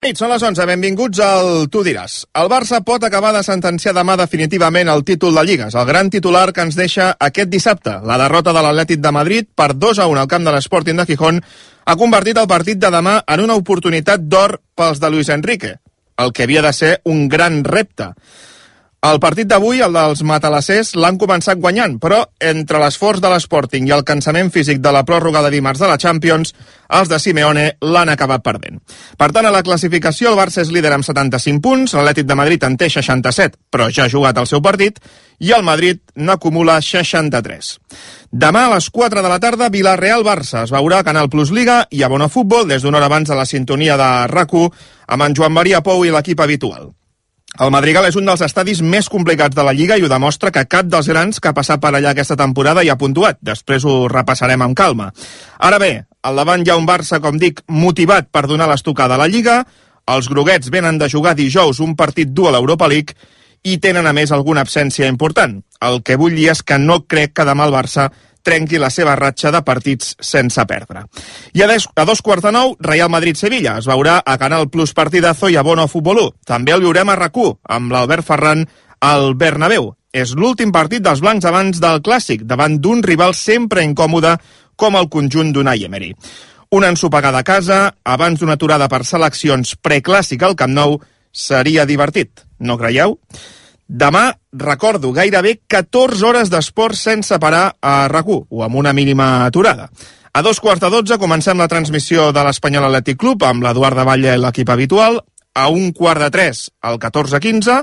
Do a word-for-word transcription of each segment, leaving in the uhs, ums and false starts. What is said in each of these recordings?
Nit, són les onze, benvinguts al Tu diràs. El Barça pot acabar de sentenciar demà definitivament el títol de Lligues, el gran titular que ens deixa aquest dissabte. La derrota de l'Atlètic de Madrid per dos a un al camp de l'Sporting de Gijón ha convertit el partit de demà en una oportunitat d'or pels de Luis Enrique, el que havia de ser un gran repte. El partit d'avui, el dels matalassers, l'han començat guanyant, però entre l'esforç de l'Sporting i el cansament físic de la pròrroga de dimarts de la Champions, els de Simeone l'han acabat perdent. Per tant, a la classificació el Barça és líder amb setanta-cinc punts, l'Atlètic de Madrid en té seixanta-set, però ja ha jugat el seu partit, i el Madrid n'acumula seixanta-tres. Demà a les quatre de la tarda, Villarreal-Barça es veurà a Canal Plus Liga i a Bona Futbol des d'una hora abans a la sintonia de RAC u amb en Joan Maria Pou i l'equip habitual. El Madrigal és un dels estadis més complicats de la Lliga i ho demostra que cap dels grans que ha passat per allà aquesta temporada hi ha puntuat. Després ho repassarem amb calma. Ara bé, al davant hi ha un Barça, com dic, motivat per donar l'estocada a la Lliga. Els groguets venen de jugar dijous un partit dur a l'Europa League i tenen a més alguna absència important. El que vull dir és que no crec que demà el Barça trenqui la seva ratxa de partits sense perdre. I a, des, a dos quarts de nou, Real Madrid-Sevilla. Es veurà a Canal Plus Partidazo i a Bona Futbol u. També el viurem a RAC u, amb l'Albert Ferran al Bernabéu. És l'últim partit dels blancs abans del Clàssic, davant d'un rival sempre incòmode com el conjunt d'Unai Emery. Una ensopegada a casa, abans d'una aturada per seleccions preclàssic al Camp Nou, seria divertit, no creieu? Demà, recordo, gairebé catorze hores d'esport sense parar a RAC u, o amb una mínima aturada. A dos quarts de dotze comencem la transmissió de l'Espanyol Atlètic Club amb l'Eduard de Batlle i l'equip habitual. A un quart de tres, el catorze quinze.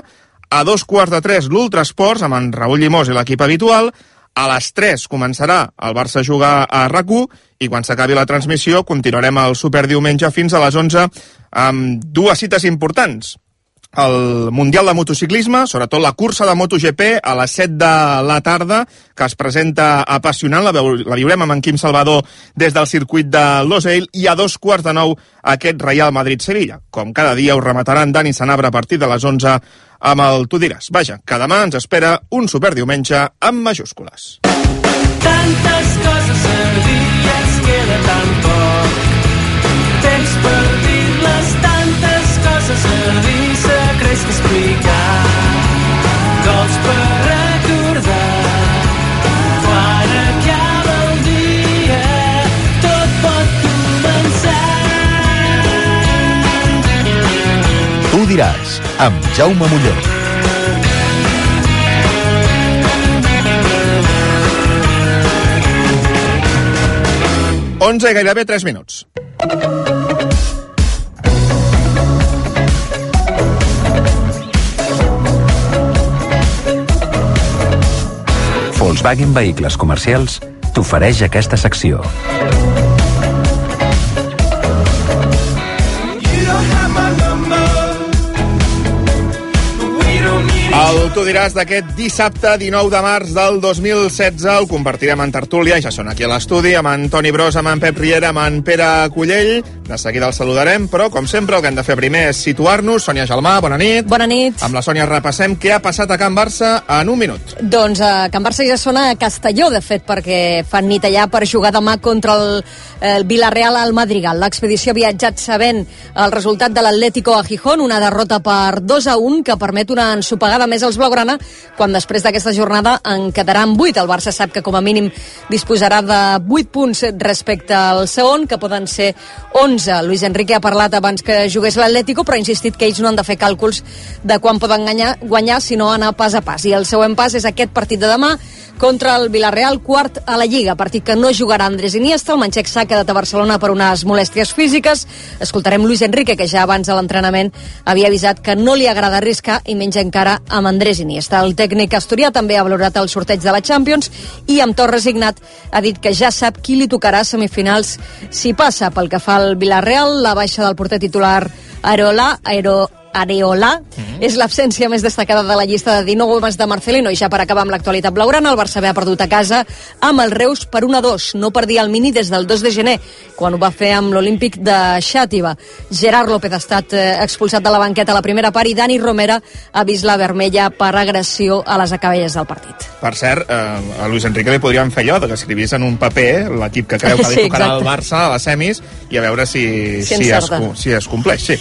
A dos quarts de tres, l'Ultrasports amb en Raül Llimós i l'equip habitual. A les tres començarà el Barça a jugar a RAC u i quan s'acabi la transmissió continuarem el superdiumenge fins a les onze amb dues cites importants. El Mundial de Motociclisme, sobretot la cursa de MotoGP a les set de la tarda, que es presenta apassionant, la, la viurem amb en Quim Salvador des del circuit de Losail, i a dos quarts de nou aquest Real Madrid-Sevilla. Com cada dia us remataran Dani Sanabra a partir de les onze amb el Tu diràs. Vaja, que demà ens espera un superdiumenge amb majúscules. Tantes coses a dir, ens queda tan poc temps per dir-les, tantes coses a dir, secrets que explicar, gols per recordar, quan acaba el dia tot pot començar. Tu diràs, amb Jaume Molló. onze i gairebé tres minuts. Volkswagen Vehicles Comercials t'ofereix aquesta secció. El Tu diràs d'aquest dissabte dinou de març del dos mil setze el compartirem en tertúlia, ja són aquí a l'estudi, amb en Toni Bros, amb en Pep Riera, amb en Pere Cullell. De seguida el saludarem, però com sempre el que hem de fer primer és situar-nos. Sònia Gelmà, bona nit. Bona nit. Amb la Sònia repassem què ha passat a Can Barça en un minut. Doncs a Can Barça ja sona a Castelló, de fet, perquè fan nit allà per jugar demà contra el, el Villarreal al Madrigal. L'expedició ha viatjat sabent el resultat de l'Atlético a Gijón, una derrota per dos a un que permet una ensopegada més als blaugrana, quan després d'aquesta jornada en quedaran vuit. El Barça sap que com a mínim disposarà de vuit punts respecte al segon, que poden ser onze. Luis Enrique ha parlat abans que jugués l'Atlético, però ha insistit que ells no han de fer càlculs de quan poden guanyar, guanyar sinó anar pas a pas. I el següent pas és aquest partit de demà contra el Villarreal, quart a la Lliga, partit que no jugarà Andrés Iniesta. El manxec s'ha quedat a Barcelona per unes molèsties físiques. Escoltarem Luis Enrique, que ja abans de l'entrenament havia avisat que no li agrada arriscar, i menys encara amb Andrés Iniesta. El tècnic asturià també ha valorat el sorteig de la Champions i amb to resignat ha dit que ja sap qui li tocarà a semifinals si passa. Pel que fa al Villarreal, la baixa del porter titular Areola, Aero Areola. Mm-hmm. És l'absència més destacada de la llista de dinou homes de Marcelino. I ja per acabar amb l'actualitat blaugrana, el Barça ha perdut a casa amb el Reus per un a dos. No perdia el Mini des del dos de gener, quan ho va fer amb l'Olímpic de Xàtiva. Gerard López ha estat eh, expulsat de la banqueta a la primera part i Dani Romera ha vist la vermella per agressió a les acaballes del partit. Per cert, eh, a Luis Enrique li podríem fer allò, que escrivís en un paper l'equip que creu que li Sí, tocarà exacte. al Barça a les semis i a veure si, Si si, es, encerta. si es compleix. Sí.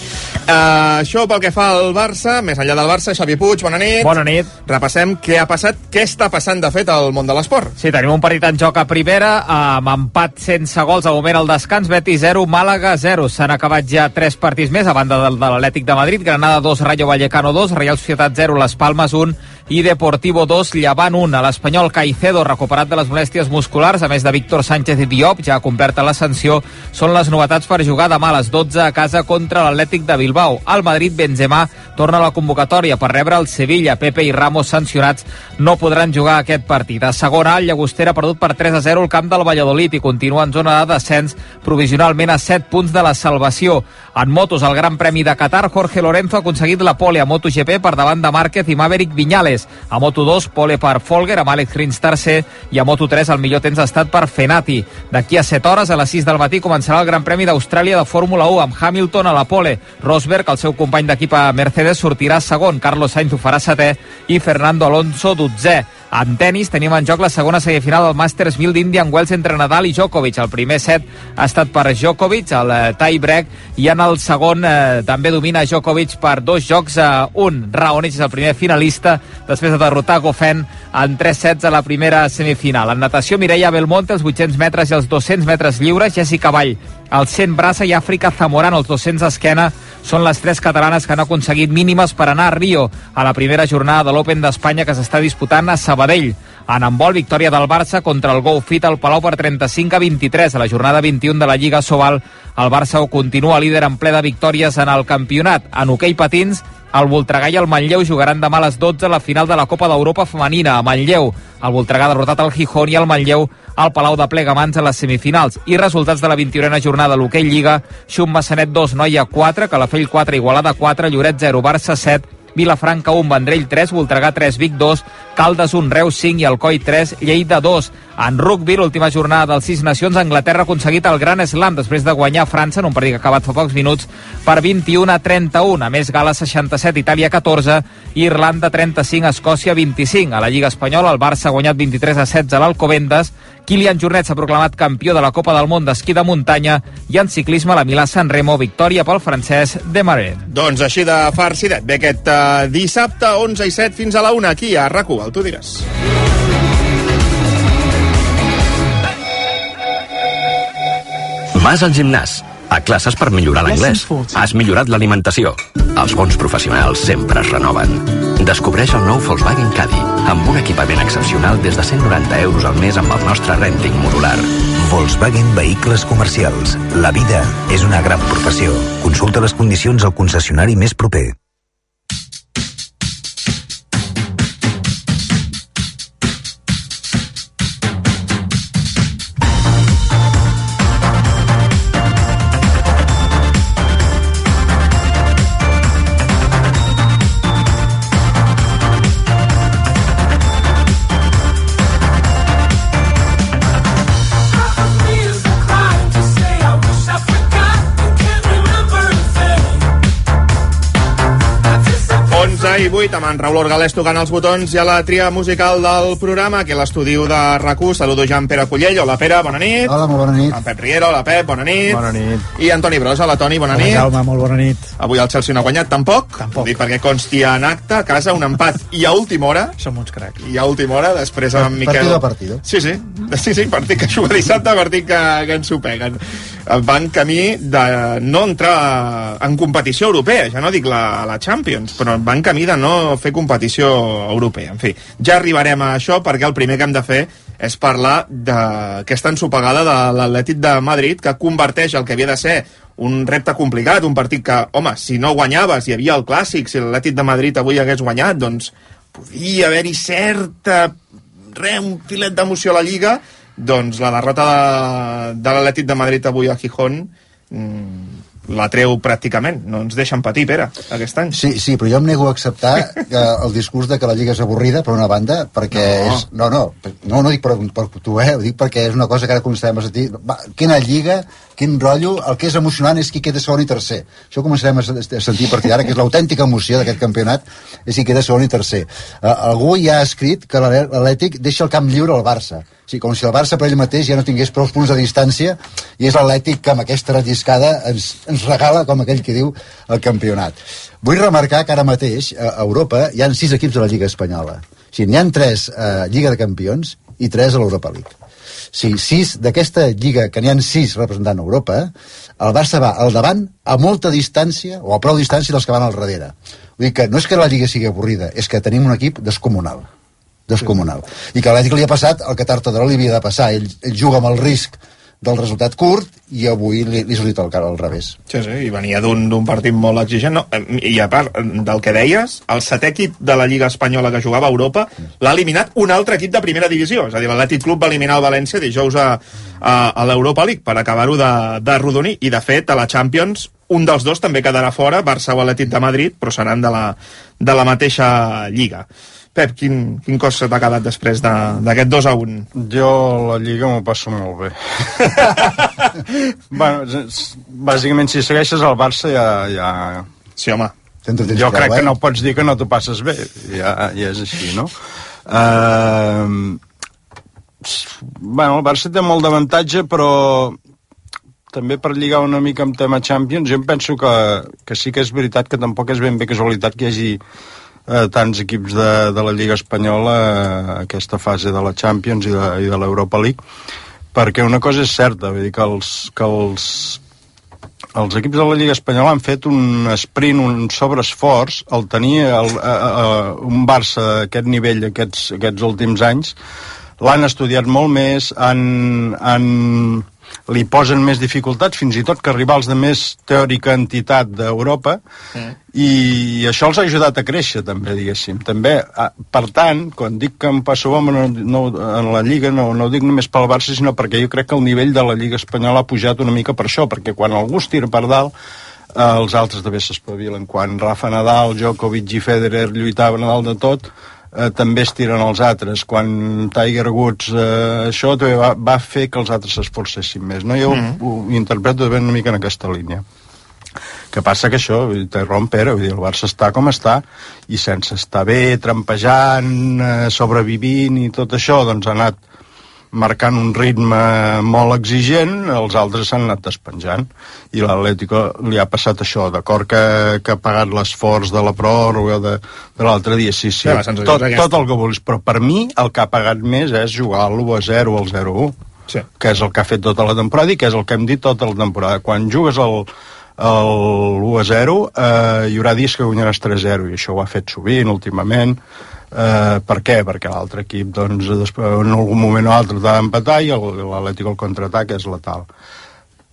Uh, això pel que fa al Barça, més enllà del Barça, Xavi Puig, bona nit. Bona nit. Repassem què ha passat, què està passant de fet al món de l'esport. Sí, tenim un partit en joc a primera, amb empat sense gols, al moment al descans, Betis zero, Màlaga zero. S'han acabat ja tres partits més, a banda del de l'Atlètic de Madrid, Granada dos, Rayo Vallecano dos, Real Societat zero, Les Palmes un i Deportivo dos, Llevant un. A l'Espanyol, Caicedo, recuperat de les molèsties musculars, a més de Víctor Sánchez i Diop, ja ha complert la sanció. Són les novetats per jugar demà a les dotze a casa contra l'Atlètic de Bilbao. Al Madrid, Benzema torna a la convocatòria per rebre el Sevilla. Pepe i Ramos, sancionats, no podran jugar aquest partit. A segona, el Llagostera ha perdut per tres a zero al camp del Valladolid i continua en zona de descens, provisionalment a set punts de la salvació. En motos, al Gran Premi de Qatar, Jorge Lorenzo ha aconseguit la pole a MotoGP per davant de Márquez i Maverick Viñales. A Moto dos, pole per Folger, amb Alex Rins tercer, i a Moto tres el millor temps ha estat per Fenati. D'aquí a set hores, a les sis del matí, començarà el Gran Premi d'Austràlia de Fórmula u, amb Hamilton a la pole. Rosberg, el seu company d'equip a Mercedes, sortirà segon, Carlos Sainz ho farà setè i Fernando Alonso dotzè. En tenis tenim en joc la segona semifinal del Masters mil d'Indian Wells entre Nadal i Djokovic. El primer set ha estat per Djokovic, el eh, tie-break, i en el segon eh, també domina Djokovic per dos jocs a un. Raonic és el primer finalista després de derrotar Goffin en tres sets a la primera semifinal. En natació, Mireia Belmonte, els vuit-cents metres i els dos-cents metres lliures, Jessica Vall, els cent braça i Àfrica Zamorano, els dos-cents esquena, són les tres catalanes que han aconseguit mínimes per anar a Rio a la primera jornada de l'Open d'Espanya que s'està disputant a Sabadell. En handbol, victòria del Barça contra el Go Fit al Palau per trenta-cinc a vint-i-tres. A la jornada vint-i-u de la Lliga Sobal, el Barça continua líder en ple de victòries en el campionat. En hoquei patins, el Voltregà i el Manlleu jugaran demà a les dotze la final de la Copa d'Europa femenina a Manlleu. El Voltregà ha derrotat el Gijón i el Manlleu al Palau de Plegamans a les semifinals. I resultats de la vint-i-unena jornada a l'hoquei Lliga: Xum Massanet dos, Noia quatre, Calafell quatre, Igualada quatre, Lloret zero, Barça set, Vilafranca un, Vendrell tres, Voltregà tres, Vic dos, Caldes un, Reus cinc i Alcoi tres, Lleida dos. En rugby, l'última jornada dels Sis Nacions, Anglaterra ha aconseguit el Gran Slam després de guanyar a França en un partit que ha acabat fa pocs minuts per vint-i-u a trenta-u. A més, Gales seixanta-set, Itàlia catorze i Irlanda trenta-cinc, Escòcia vint-i-cinc. A la Lliga Espanyola, el Barça ha guanyat vint-i-tres a setze a l'Alcobendas. Kilian Jornet s'ha proclamat campió de la Copa del Món d'esquí de muntanya i en ciclisme la Milà-San Remo, victòria pel francès Desmarais. Doncs així de farcidet. Bé, aquest uh, dissabte, onze i set, fins a la una, aquí a RAC u, el Tu diràs. Vas al gimnàs, a classes per millorar l'anglès. Has millorat l'alimentació. Els bons professionals sempre es renoven. Descobreix el nou Volkswagen Caddy, amb un equipament excepcional des de cent noranta euros al mes amb el nostre renting modular. Volkswagen Vehicles Comercials. La vida és una gran professió. Consulta les condicions al concessionari més proper. I vuit, amb en Raül Orgalès tocant els botons i a la tria musical del programa, aquí a l'estudi de RAC u. Saludo ja en Pere Cullell. Hola, Pere, bona nit. Hola, molt bona nit. En Pep Riera, hola, Pep, bona nit. Bona nit. I Antoni Brosa, hola, Toni, bona Hola, nit. Jaume, molt bona nit. Avui el Chelsea no ha guanyat, tampoc. Tampoc. Dic perquè consti en acte, a casa, un empat. I a última hora... Som uns cracs. I a última hora, després amb Miquel... Partido a partido. Sí, sí. Sí, sí, partit que juga dissabte, partit que, que ens ho peguen. Van camí de no entrar en competició europea, ja no dic la, la Champions, però van camí de no fer competició europea. En fi, ja arribarem a això, perquè el primer que hem de fer és parlar d'aquesta ensopegada de l'Atlètic de Madrid, que converteix el que havia de ser un repte complicat, un partit que, home, si no guanyaves, hi havia el Clàssic, si l'Atlètic de Madrid avui hagués guanyat, doncs podia haver-hi certa... re, un filet d'emoció a la Lliga. Doncs la derrota de, de l'Atlètic de Madrid avui a Gijón, mmm, la treu pràcticament, no ens deixen patir, Pere, aquest any. Sí, sí, però jo em nego a acceptar que el discurs de que la Lliga és avorrida, per una banda, perquè no. és... No, no, no, no dic per, per tu, eh? Ho dic perquè és una cosa que ara començarem a sentir. Va, quina Lliga, quin rotllo, el que és emocionant és qui queda segon i tercer. Això començarem a sentir a partir d'ara, que és l'autèntica emoció d'aquest campionat, és qui queda segon i tercer. Uh, algú ja ha escrit que l'Atlètic deixa el camp lliure al Barça. Sí, com si el Barça per ell mateix ja no tingués prou punts de distància, i és l'Atlètic que amb aquesta relliscada ens, ens regala, com aquell que diu, el campionat. Vull remarcar que ara mateix a Europa hi ha sis equips de la Lliga Espanyola. O sigui, n'hi ha tres a Lliga de Campions i tres a l'Europa League. Sí, sis d'aquesta Lliga, que n'hi ha sis representant a Europa, el Barça va al davant a molta distància, o a prou distància dels que van al darrere. Vull dir que no és que la Lliga sigui avorrida, és que tenim un equip descomunal. descomunal. I que a l'Atlètic li ha passat el que tard o d'hora li havia de passar. Ell, ell juga amb el risc del resultat curt i avui li, li ha sortit el cara al revés. Sí, sí, i venia d'un partit molt exigent. No? I a part del que deies, el setè equip de la Lliga Espanyola que jugava a Europa l'ha eliminat un altre equip de primera divisió. És a dir, l'Atlètic Club va eliminar el València dijous a, a, a l'Europa League per acabar-ho de, de rodonir. I, de fet, a la Champions un dels dos també quedarà fora, Barça o Atlètic de Madrid, però seran de la, de la mateixa Lliga. Pep, quin, quin cos t'ha quedat després d'aquest dos a un? Jo la Lliga m'ho passo molt bé. Bueno, bàsicament, si segueixes el Barça ja... ja... Sí, home. Jo crec que no pots dir que no t'ho passes bé. Ja, ja és així, no? Uh... Bueno, el Barça té molt d'avantatge, però també per lligar una mica amb tema Champions, jo em penso que, que sí que és veritat que tampoc és ben bé casualitat que hi hagi Eh, tants equips de, de la Lliga Espanyola a eh, aquesta fase de la Champions i de, i de l'Europa League, perquè una cosa és certa, vull dir que els, que els, els equips de la Lliga Espanyola han fet un sprint, un sobreesforç al tenir el, a, a, un Barça d'aquest nivell aquests, aquests últims anys. L'han estudiat molt més, han, han, li posen més dificultats, fins i tot que rivals de més teòrica entitat d'Europa, mm. i això els ha ajudat a créixer, també, diguéssim. També, per tant, quan dic que em passo bo no, no, en la Lliga, no, no ho dic només pel Barça, sinó perquè jo crec que el nivell de la Lliga Espanyola ha pujat una mica per això, perquè quan algú es tira per dalt, eh, els altres també s'espavilen. Quan Rafa Nadal, Djokovic i Federer lluitaven a dalt de tot, Eh, també es tiren els altres. Quan Tiger Woods eh, això també va, va fer que els altres s'esforcessin més, no? Jo mm. ho, ho interpreto ben una mica en aquesta línia. Que passa que això, té rompera, vull dir, el Barça està com està, i sense estar bé, trampejant, eh, sobrevivint i tot això, doncs ha anat marcant un ritme molt exigent, els altres s'han anat despenjant, i l'Atlético li ha passat això, d'acord que, que ha pagat l'esforç de la pròrroga de, de l'altre dia, sí, sí, sí tot, tot el que vulguis, però per mi el que ha pagat més és jugar a l'u a zero o al zero a u, sí. Que és el que ha fet tota la temporada i que és el que hem dit tota la temporada. Quan jugues al l'u a zero, eh, hi haurà dies que guanyaràs tres a zero, i això ho ha fet sovint últimament. Uh, per què? Perquè l'altre equip doncs, després, en algun moment o altre t'ha d'empatar i l'Atlètic al contraatac és letal.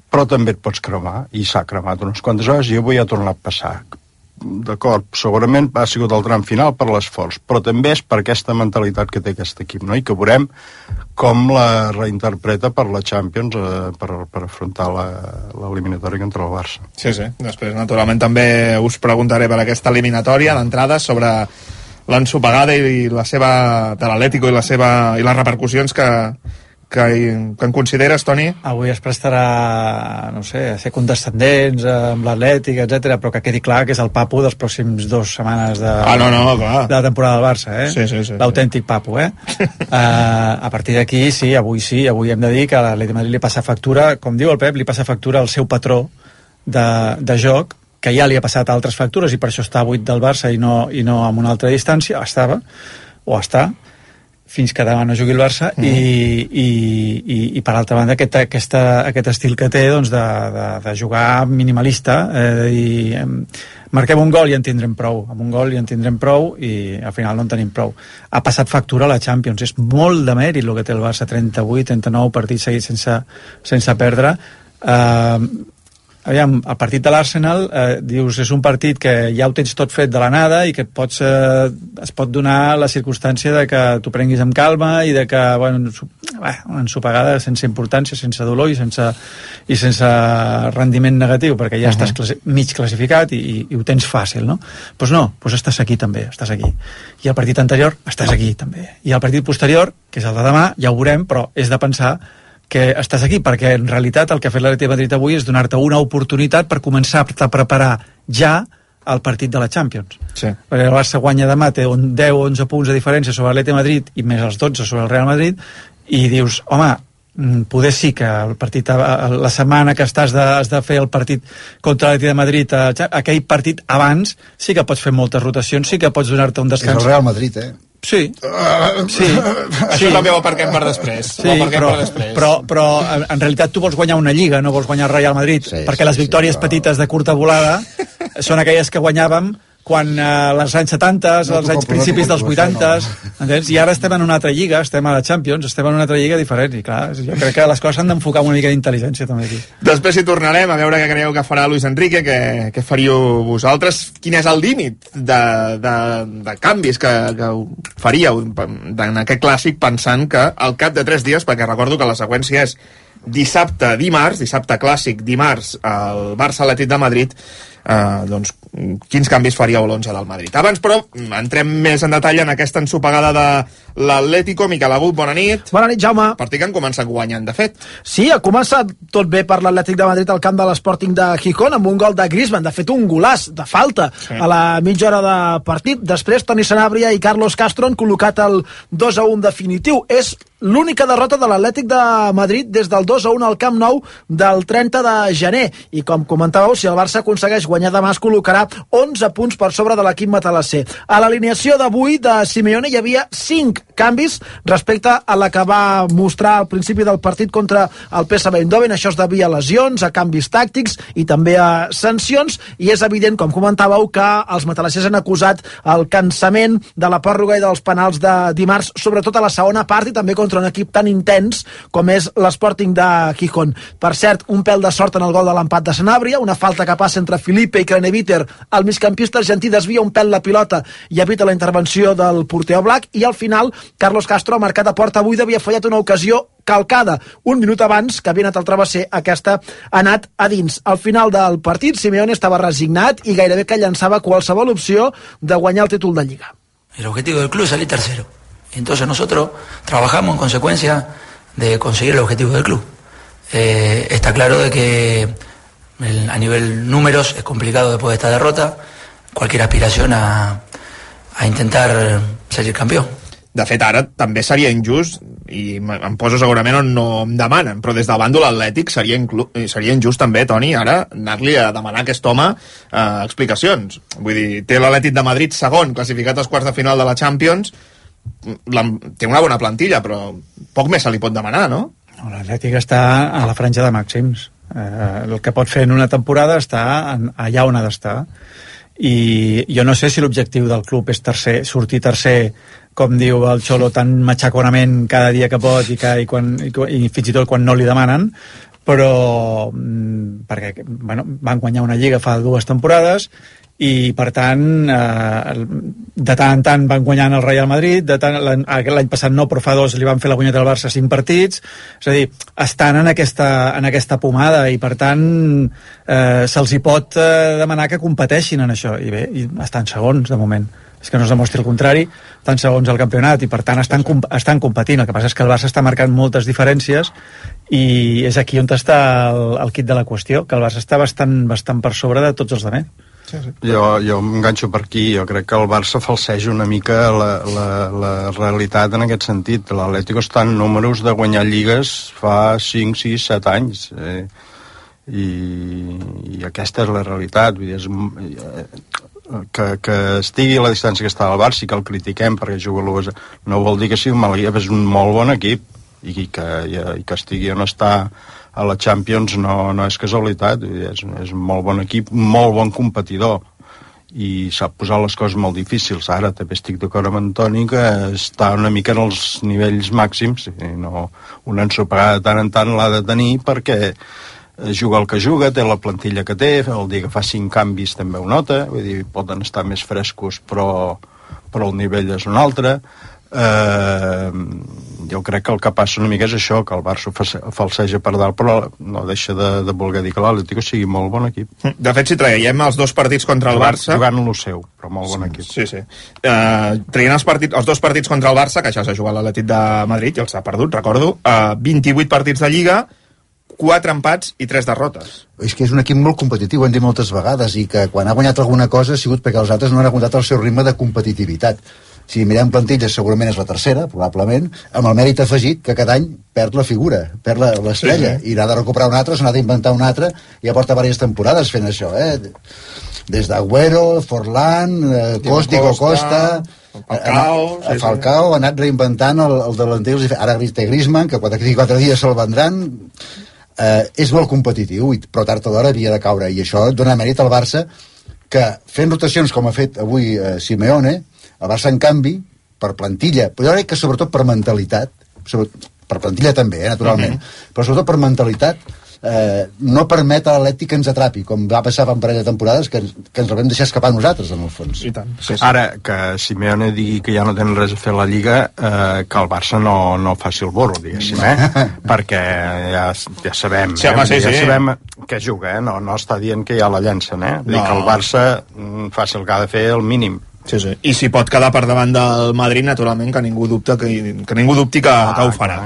Però també et pots cremar, i s'ha cremat unes quantes hores, i avui ha tornat a passar. D'acord, segurament ha sigut el tram final per l'esforç, però també és per aquesta mentalitat que té aquest equip, no? I que veurem com la reinterpreta per la Champions, eh, per, per afrontar l'eliminatòria contra el Barça. Sí, sí. Després, naturalment, també us preguntaré per aquesta eliminatòria d'entrada sobre l'ensopegada i la seva de l'Atlético i la seva i les repercussions que, que, que en consideres, Toni? Avui es prestarà, no sé, a ser condescendents amb l'Atlètic, etcètera, però que quedi clar que és el papu dels pròxims dues setmanes de, ah, no, no, clar. de la temporada del Barça, eh? Sí, sí, sí, l'autèntic papu, eh? uh, a partir d'aquí, sí, avui sí, avui hem de dir que a l'Atlètic de Madrid li passa factura, com diu el Pep, li passa factura al seu patró de, de joc, que ja li ha passat a altres factures i per això està a vuit del Barça i no, i no amb una altra distància, estava, o està, fins que demà no jugui el Barça, mm. i, i, i, i per altra banda aquest, aquesta, aquest estil que té doncs, de, de, de jugar minimalista, eh, i eh, marquem un gol i en tindrem prou, amb un gol i en tindrem prou i al final no en tenim prou. Ha passat factura a la Champions, és molt de mèrit el que té el Barça, trenta-vuit, trenta-nou partits seguits sense, sense perdre. Eh, aviam, el partit de l'Arsenal, eh, dius, és un partit que ja ho tens tot fet de la nada i que et pots, eh, es pot donar la circumstància de que t'ho prenguis amb calma i de que, bueno, una ensopegada sense importància, sense dolor i sense, i sense rendiment negatiu, perquè ja uh-huh. estàs classi- mig classificat i, i, i ho tens fàcil, no? Doncs pues no, doncs pues estàs aquí també, estàs aquí. I el partit anterior, estàs aquí també. I el partit posterior, que és el de demà, ja ho veurem, però és de pensar que estàs aquí, perquè en realitat el que ha fet l'Atlètic de Madrid avui és donar-te una oportunitat per començar a preparar ja el partit de la Champions. Sí. Perquè el Barça guanya demà, té deu o onze punts de diferència sobre l'Atlètic de Madrid i més els dotze sobre el Real Madrid, i dius, home, poder sí que el partit, la setmana que estàs de, has de fer el partit contra l'Atlètic de Madrid, aquell partit abans, sí que pots fer moltes rotacions, sí que pots donar-te un descans. És el Real Madrid, eh? Sí, uh, sí. Això sí. també ho aparquem per després. Sí, però, per després. Però, però en realitat tu vols guanyar una lliga, no vols guanyar el Real Madrid, sí, perquè sí, les victòries sí, però... petites de curta volada són aquelles que guanyàvem quan eh, les anys setanta, no, els anys principis dels vuitanta, no. I ara estem en una altra lliga, estem a la Champions, estem en una altra lliga diferent, i clar, jo crec que les coses s'han d'enfocar amb una mica d'intel·ligència també aquí. Després hi tornarem a veure què creieu que farà Luis Enrique, què, què faríeu vosaltres, quin és el límit de, de, de canvis que, que faríeu en aquest clàssic, pensant que al cap de tres dies, perquè recordo que la seqüència és dissabte, dimarts, dissabte clàssic, dimarts, el Barça Atlètic de Madrid, eh, doncs, quins canvis faríeu l'onze del Madrid. Abans, però, entrem més en detall en aquesta ensopegada de l'Atlético. Miquel Agut, bona nit. Bona nit, Jaume. Partit que han començat guanyant, de fet. Sí, ha començat tot bé per l'Atlètic de Madrid al camp de l'Sporting de Gijón, amb un gol de Griezmann, de fet un golaç de falta sí. a la mitja hora de partit. Després, Toni Sanabria i Carlos Castro han col·locat el dos a un definitiu. És l'única derrota de l'Atlètic de Madrid des del dos a un al Camp Nou del trenta de gener. I com comentàveu, si el Barça aconsegueix guanyar demà, es col·locarà onze punts per sobre de l'equip matalasser. A l'alineació d'avui de Simeone hi havia cinc canvis respecte a la que va mostrar al principi del partit contra el P S V Eindhoven. Això es devia a lesions, a canvis tàctics i també a sancions, i és evident, com comentàveu, que els matalassers han acusat el cansament de la pròrroga i dels penals de dimarts, sobretot a la segona part, i també contra un equip tan intens com és l'Sporting de Gijón. Per cert, un pèl de sort en el gol de l'empat de Sanabria, una falta que passa entre Felipe i Craneviter, el migcampista argentí desvia un pèl la pilota i evita la intervenció del porter Oblak, i al final Carlos Castro ha marcat a porta buida, havia fallat una ocasió calcada un minut abans, que havia anat al travesser, aquesta ha anat a dins. Al final del partit, Simeone estava resignat i gairebé que llançava qualsevol opció de guanyar el títol de Lliga. El objetivo del club es salir tercero. Entonces nosotros trabajamos en consecuencia de conseguir el objetivo del club. Eh, está claro de que el, a nivel números es complicado después de esta derrota cualquier aspiración a, a intentar salir campió. De fet, ara també seria injust, i em poso segurament on no em demanen, però des del bàndol atlètic seria, inclu- seria injust també, Toni, ara anar-li a demanar a aquest home eh, explicacions. Vull dir, té l'Atlètic de Madrid segon, classificat als quarts de final de la Champions, la, té una bona plantilla, però poc més se li pot demanar, no? L'Atlètic està a la franja de màxims. Eh, el que pot fer en una temporada està en, allà on ha d'estar. I jo no sé si l'objectiu del club és tercer, sortir tercer, com diu el Xolo, tan matxaconament cada dia que pot i, que, i, quan, i, i fins i tot quan no li demanen, però perquè bueno, van guanyar una lliga fa dues temporades i per tant eh, de tant en tant van guanyant el Real Madrid, de tant, l'any passat no, però fa dos li van fer la guanyeta al Barça cinc partits, és a dir, estan en aquesta, en aquesta pomada i per tant eh, se'ls hi pot eh, demanar que competeixin en això, i bé, i estan segons de moment, és que no es demostri el contrari, estan segons al campionat i per tant estan, estan competint. El que passa és que el Barça està marcant moltes diferències i és aquí on està el, el quid de la qüestió, que el Barça està bastant, bastant per sobre de tots els altres. Sí, sí. Jo, jo m'enganxo per aquí. Jo crec que el Barça falseja una mica la, la, la realitat en aquest sentit. L'Atlético està en números de guanyar lligues fa cinc, sis, set anys eh? I, i aquesta és la realitat. Vull dir, és, que, que estigui a la distància que està el Barça i que el critiquem perquè juga l'U S A no vol dir que sigui un mal equip, és un molt bon equip i que, i, i que estigui on està a la Champions no, no és casualitat, és, és un molt bon equip, molt bon competidor i sap posar les coses molt difícils. Ara també estic d'acord amb Antoni que està una mica en els nivells màxims i no, una ensopegada de tant en tant l'ha de tenir perquè juga el que juga, té la plantilla que té, el dia que fa cinc canvis també ho nota, vull dir, poden estar més frescos, però, però el nivell és un altre. Eh, jo crec que el que passa una mica és això, que el Barça falseja per dalt, però no deixa de, de voler dir que l'Atlético sigui molt bon equip. De fet, si traiem els dos partits contra el Barça... Jugant lo seu, però molt bon equip. Sí, sí. Uh, traient els, partits, els dos partits contra el Barça, que això s'ha jugat l'Atlètic de Madrid i els ha perdut, recordo, uh, vint-i-vuit partits de Lliga, quatre empats i tres derrotes. És que és un equip molt competitiu, ho hem dit moltes vegades, i que quan ha guanyat alguna cosa ha sigut perquè els altres no han aguantat el seu ritme de competitivitat. Si mirem plantilles, segurament és la tercera, probablement, amb el mèrit afegit que cada any perd la figura, perd l'estrella, sí, sí. I n'ha de recuperar una altra, se n'ha d'inventar una altra, i ja porta diverses temporades fent això, eh? Des d'Agüero, Forlán, eh, Costa, Costa, Falcao, sí, Falcao, ha anat reinventant el, el delanter, ara té Griezmann, que quatre, quatre dies se'l vendran, eh, és molt competitiu, però tard o d'hora havia de caure, i això dona mèrit al Barça, que fent rotacions com ha fet avui eh, Simeone, el Barça, en canvi, per plantilla, però jo crec que sobretot per mentalitat, per plantilla també, eh, naturalment, mm-hmm. però sobretot per mentalitat, eh, no permet a l'Atlètic que ens atrapi, com va passar fa un parell de temporades, que, que ens el vam deixar escapar nosaltres, en el fons. I tant. Sí, sí. Ara, que Simeone digui que ja no tenen res a fer a la Lliga, eh, que el Barça no, no faci el borro, diguéssim, eh? Perquè ja, ja sabem, sí, home, eh? sí, ja sí. sabem que juga, eh? No, no està dient que ja la llencen, eh? No. Dic que el Barça faci el que ha de fer el mínim. Sí, sí. I si pot quedar per davant del Madrid, naturalment, que ningú dubta que, que ningú dubti que, ah, que ho farà.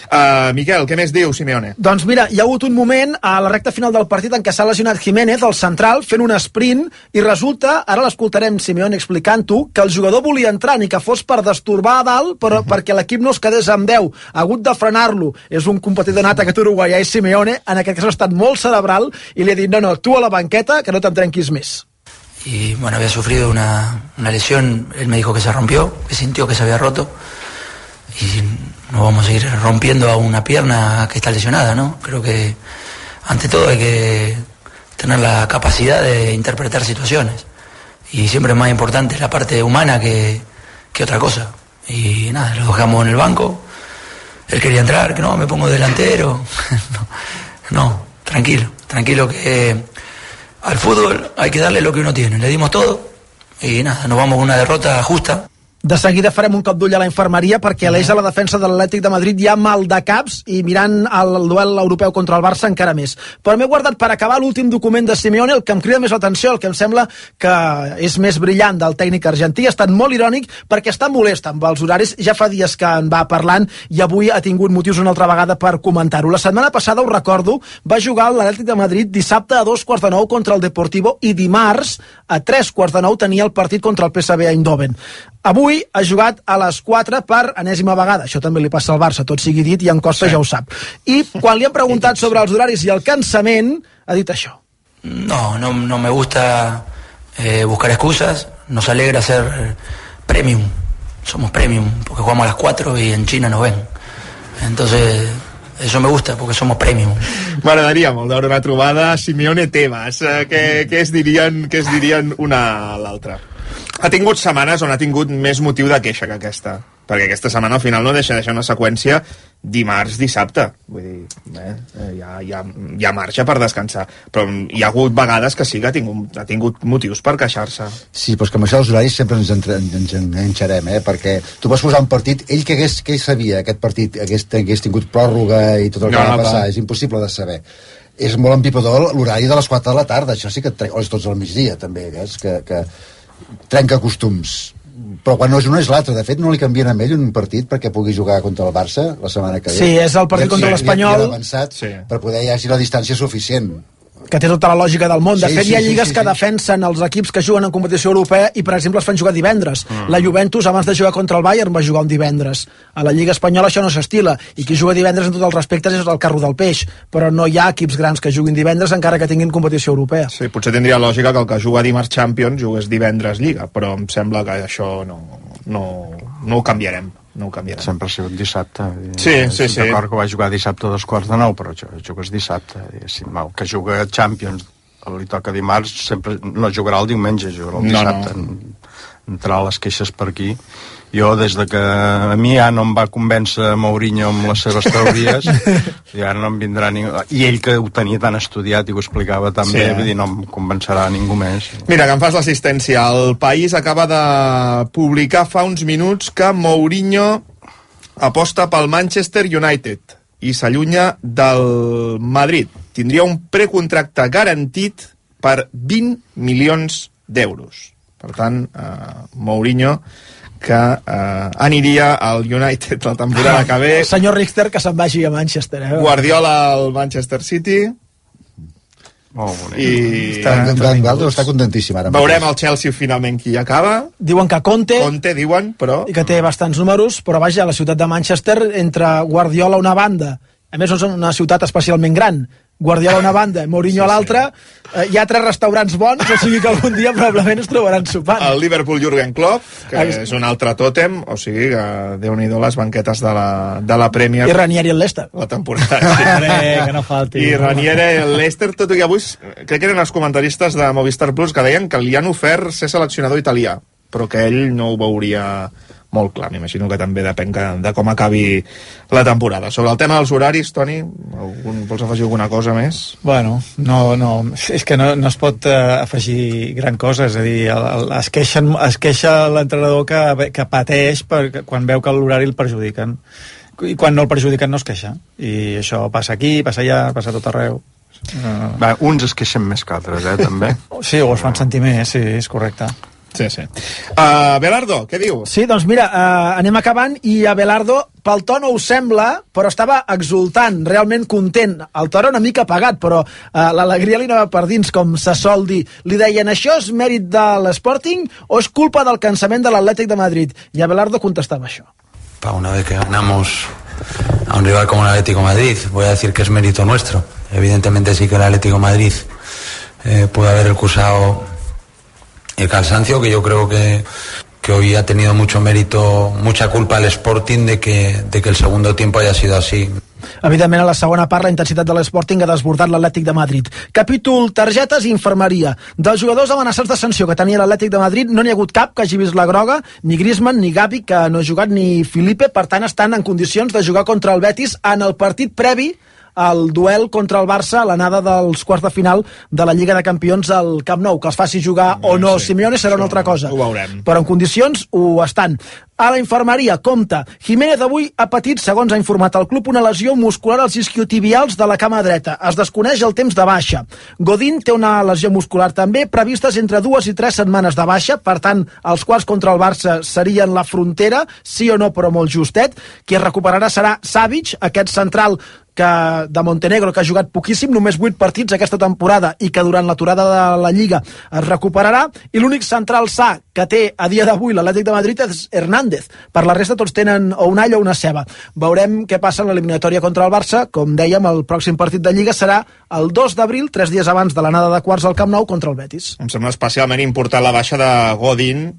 Uh, Miquel, què més diu Simeone? Doncs mira, hi ha hagut un moment a la recta final del partit en què s'ha lesionat Jiménez, el central, fent un sprint, i resulta, ara l'escoltarem Simeone explicant-ho, que el jugador volia entrar, ni que fos per destorbar a dalt, però, uh-huh. perquè l'equip no es quedés amb deu. Ha hagut de frenar-lo. És un competidor nat aquest uruguaià i Simeone, en aquest cas ha estat molt cerebral, i li ha dit, no, no, tu a la banqueta, que no te'n trenquis més. Y bueno, había sufrido una, una lesión, él me dijo que se rompió, que sintió que se había roto, y no vamos a ir rompiendo a una pierna que está lesionada, ¿no? Creo que ante todo hay que tener la capacidad de interpretar situaciones, y siempre es más importante la parte humana que, que otra cosa. Y nada, lo dejamos en el banco, él quería entrar, que no, me pongo delantero, no, no, tranquilo, tranquilo que... Al fútbol hay que darle lo que uno tiene. Le dimos todo y nada, nos vamos con una derrota justa. De seguida farem un cop d'ull a la infermeria perquè a l'eix de la defensa de l'Atlètic de Madrid hi ha mal de caps i mirant el duel europeu contra el Barça encara més. Però m'he guardat per acabar l'últim document de Simeone, el que em crida més l'atenció, el que em sembla que és més brillant del tècnic argentí. Ha estat molt irònic perquè està molest amb els horaris, ja fa dies que en va parlant i avui ha tingut motius una altra vegada per comentar-ho. La setmana passada, ho recordo, va jugar l'Atlètic de Madrid dissabte a dos quarts de nou contra el Deportivo i dimarts a tres quarts de nou tenia el partit contra el P S V Eindhoven. Avui ha jugat a les quatre per enèsima vegada. Això també li passa al Barça, tot sigui dit, i en Costa sí. ja ho sap. I quan li han preguntat sobre els horaris i el cansament, ha dit això. No, no, no me gusta eh, buscar excusas. Nos alegra ser premium. Somos premium, porque jugamos a las cuatro y en China nos ven. Entonces... Eso me gusta, porque somos premium. M'agradaria molt veure una trobada Simeone-Tebas. Eh, què, què es dirien, què es dirien una a l'altra? Ha tingut setmanes on ha tingut més motiu de queixa que aquesta. Perquè aquesta setmana al final no deixa deixar una seqüència dimarts-dissabte. Vull dir, eh, hi, ha, hi, ha, hi ha marge per descansar. Però hi ha hagut vegades que sí que ha tingut, ha tingut motius per queixar-se. Sí, però és que amb això dels horaris sempre ens, entre, ens enganxarem, eh? Perquè tu vas posar un partit, ell que hagués, que ell sabia aquest partit hagués, hagués tingut pròrroga i tot el que no, va no, passar, va. És impossible de saber. És molt empipador l'horari de les quatre de la tarda, això sí que tre... o és tots al migdia també, eh? que, que trenca costums. Però quan no és una és l'altra. De fet, no li canvien a ell un partit perquè pugui jugar contra el Barça la setmana que ve. Sí, és el partit ja, contra sí, l'Espanyol. Ja avançat sí. per poder hi hagi la distància suficient. Que té tota la lògica del món. De sí, fet, sí, hi ha lligues sí, sí, que sí. defensen els equips que juguen en competició europea i, per exemple, es fan jugar divendres. Mm. La Juventus, abans de jugar contra el Bayern, va jugar un divendres. A la Lliga Espanyola això no s'estila. I qui juga divendres, en tots els respectes, és el carro del peix. Però no hi ha equips grans que juguin divendres encara que tinguin competició europea. Sí, potser tindria lògica que el que juga dimarts Champions jugués divendres Lliga, però em sembla que això no, no, no ho canviarem. No ho canviarem. Sempre ha sigut dissabte. Sí, sí, sí. D'acord que va jugar dissabte a dos quarts de nou, però jugues dissabte. El que juga Champions li toca dimarts, sempre no jugarà el diumenge, jugarà el dissabte. No, no. entrar les queixes per aquí. Jo, des de que a mi ja no em va convèncer Mourinho amb les seves teories, i ara no em vindrà ningú... I ell, que ho tenia tan estudiat i ho explicava tan Sí. bé, vull dir, no em convencerà ningú més. Mira, que em fas l'assistència. El País acaba de publicar fa uns minuts que Mourinho aposta pel Manchester United i s'allunya del Madrid. Tindria un precontracte garantit per vint milions d'euros. Per tant, eh, Mourinho que eh, aniria al United la temporada que ve. El senyor Richter que se'n vagi a Manchester. Eh? Guardiola al Manchester City. Molt bonic. I Està, Guardiola està contentíssim ara. veurem el Chelsea finalment qui hi acaba. Diuen que Conte, Conte, diuen, però... i que té bastants números, però vaja, la ciutat de Manchester, entre Guardiola a una banda, a més no és una ciutat especialment gran, Guardiola a una banda, Mourinho sí, a l'altra, eh, hi ha tres restaurants bons, o sigui que algun dia probablement es trobaran sopant. El Liverpool Jürgen Klopp, que és un altre tòtem, o sigui que déu-n'hi-do les banquetes de la, de la Premier. I Ranieri el Leicester. La temporada. Sí. que no falti. I Ranieri el Leicester, tot i que avui crec que eren els comentaristes de Movistar Plus que deien que li han ofert ser seleccionador italià, però que ell no ho veuria molt clar. M'imagino que també depèn que, de com acabi la temporada. Sobre el tema dels horaris, Toni, algun, vols afegir alguna cosa més? Bueno, no, no, és que no, no es pot uh, afegir gran cosa, és a dir, el, el, es, queixen, es queixa l'entrenador que, que pateix per, quan veu que l'horari el perjudiquen, i quan no el perjudiquen no es queixa, i això passa aquí, passa allà, passa a tot arreu. Uh... Va, uns es queixen més que altres, eh, també. Sí, o es fan sentir més, sí, és correcte. Sí, sí. Uh, Belardo, què diu? Sí, doncs mira, uh, anem acabant i a Belardo, pel to no us sembla, però estava exultant, realment content. El to era una mica apagat, però uh, l'alegria li anava per dins, com se sol dir. Li deien, això és mèrit de l'Sporting o és culpa del cansament de l'Atlètic de Madrid? I a Belardo contestaba això. Pa, una vez que ganamos a un rival como el Atlético de Madrid, voy a decir que es mérito nuestro. Evidentemente sí que el Atlético de Madrid eh, pudo haber recusado el cansancio, que yo creo que, que hoy ha tenido mucho mérito, mucha culpa al Sporting de que, de que el segundo tiempo haya sido así. Evidentment, a la segona part, la intensitat de l'Sporting ha desbordat l'Atlètic de Madrid. Capítol targetes i infermeria. Dels jugadors amenaçats de sanció que tenia l'Atlètic de Madrid, no n'hi ha hagut cap que hagi vist la groga, ni Griezmann, ni Gavi, que no ha jugat, ni Felipe, per tant, estan en condicions de jugar contra el Betis en el partit previ el duel contra el Barça a l'anada dels quarts de final de la Lliga de Campions al Camp Nou. Que els faci jugar no, o no sí, Simeone serà una altra cosa. Ho veurem. Però en condicions ho estan. A la infermeria, compte, Jiménez avui ha patit, segons ha informat el club, una lesió muscular als isquiotibials de la cama dreta. Es desconeix el temps de baixa. Godín té una lesió muscular també, previstes entre dues i tres setmanes de baixa, per tant, els quarts contra el Barça serien la frontera, sí o no, però molt justet. Qui es recuperarà serà Savic, aquest central que de Montenegro, que ha jugat poquíssim, només vuit partits aquesta temporada i que durant l'aturada de la Lliga es recuperarà, i l'únic central sa que té a dia d'avui l'Atlètic de Madrid és Hernández. Per la resta tots tenen o un all o una ceba. Veurem què passa en l'eliminatòria contra el Barça. Com dèiem, el pròxim partit de Lliga serà el dos d'abril, tres dies abans de l'anada de quarts al Camp Nou contra el Betis. Em sembla especialment important la baixa de Godín.